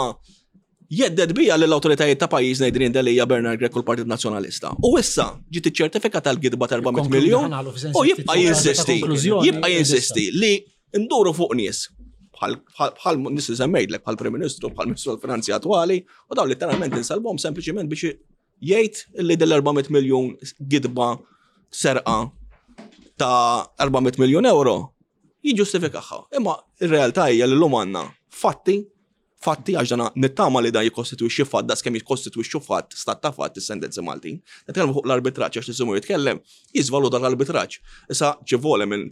Jhedded biha lill-awtoritajiet ta' pajjiżna Adrian Delia, Bernard Grech u l-Partit Nazzjonalista. U issa ġiet iċċertifikata l-gidba ta' 400 miljun u jibqa' jinsisti, jibqa' jinsisti li nduru fuq nies bħal nies li semmejtlek, bħal Prim Ministru, bħal Ministru tal-Finanzi attwali, u dawn letteralment insalbhom sempliċiment biex jgħid li dell-400 miljun gidba serqa ta' 400 miljun euro jiġġustifikaha. Imma ir-realtà hija li llum għandna fatti Fatti għax dana nittama li dan jikkostitwixxi fatt daqs kemm jikkostitwixxu fatt, stat ta' fatt is-sentenzi Maltin. Nitkellmu fuq l-arbitraġġ għax nisimgħu jitkellem, jiżvaluta l-arbitraġġ. Issa ċivole minn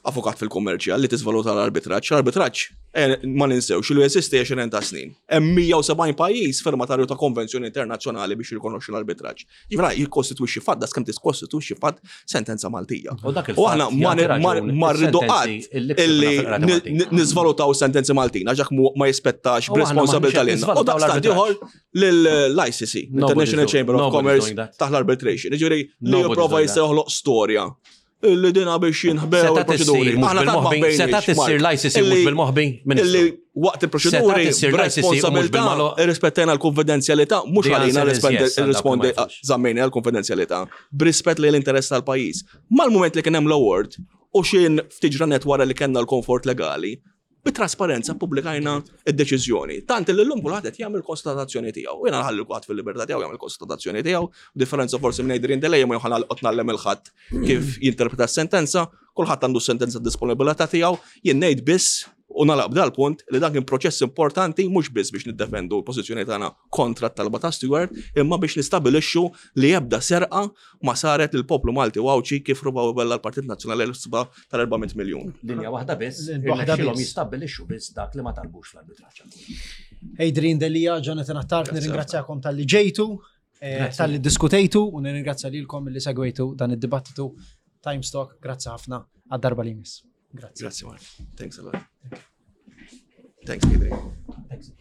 avukat fil-kummerċjal li tiżvaluta l-arbitraġġ. L-arbitraġġ eh, ma ninsewx li jeżisti 20 ta' snin. Hemm 170 pajjiż firmatarju ta' konvenzjoni internazzjonali biex jirrikonoxxu l-arbitraġġ. Ġifieri jikkostitwixxi fatt daqs kemm tikkostitwixxi fatt sentenza Maltija. U dak U aħna ma rridu qatt illi niżvalutaw sentenzi Maltin għax dak ma jispettax b'responsabilità lilna. U daqstant ieħor lill-ICC, International Chamber of Commerce, taħt l-arbitration. Ġifieri li jipprova jista' joħloq storja Illi dina biex jinħbew il-proċeduri. Aħna tant ma ħbejniex. Seta tissir l-ICC mhux bil-moħbi, Illi waqt il-proċeduri b'responsabilità irrispettajna l-konfidenzjalità, mhux għalina rispondi żammejna l-konfidenzjalità, b'rispett lejn l-interess tal-pajjiż. Mal-mument li kien hemm l-award u x'in ftit ġranet wara li kellna l-komfort legali, Bi trasparenza ppubblikajna d-deċiżjoni. Tant li llum kulħadd qed jagħmel konstatazzjoni tiegħu. Jiena nħalli kulħadd fil-libertà tiegħu jagħmel konstatazzjoni tiegħu, differenza forsi minn Adrian Delia ma joħan qed ngħallem il-ħadd kif jinterpreta s-sentenza, kulħadd għandu s-sentenza disponibilità tiegħu, jien ngħid biss u nagħlaq b'dal-punt li dan kien proċess importanti mhux biss biex niddefendu l-pożizzjoni tagħna kontra t-talba ta' Steward, imma biex nistabilixxu li ebda serqa ma saret lill-poplu Malti u Għawdxi kif rubaw bella l-Partit Nazzjonalista tal-400 miljun. Linja waħda biss, waħda biss. jistabbilixxu biss dak li ma talbux fl-arbitraġġ. Adrian Delia, Jonathan Attard, nirringrazzjakom tal-li ġejtu, eh, tal-li diskutejtu u nirringrazzja lilkom li segwejtu dan id-dibattitu Times Talk. Grazzi ħafna għad-darba li jmiss. Grazzi. Grazzi, Mark. Thanks a lot. Thanks, Adrian. Thanks.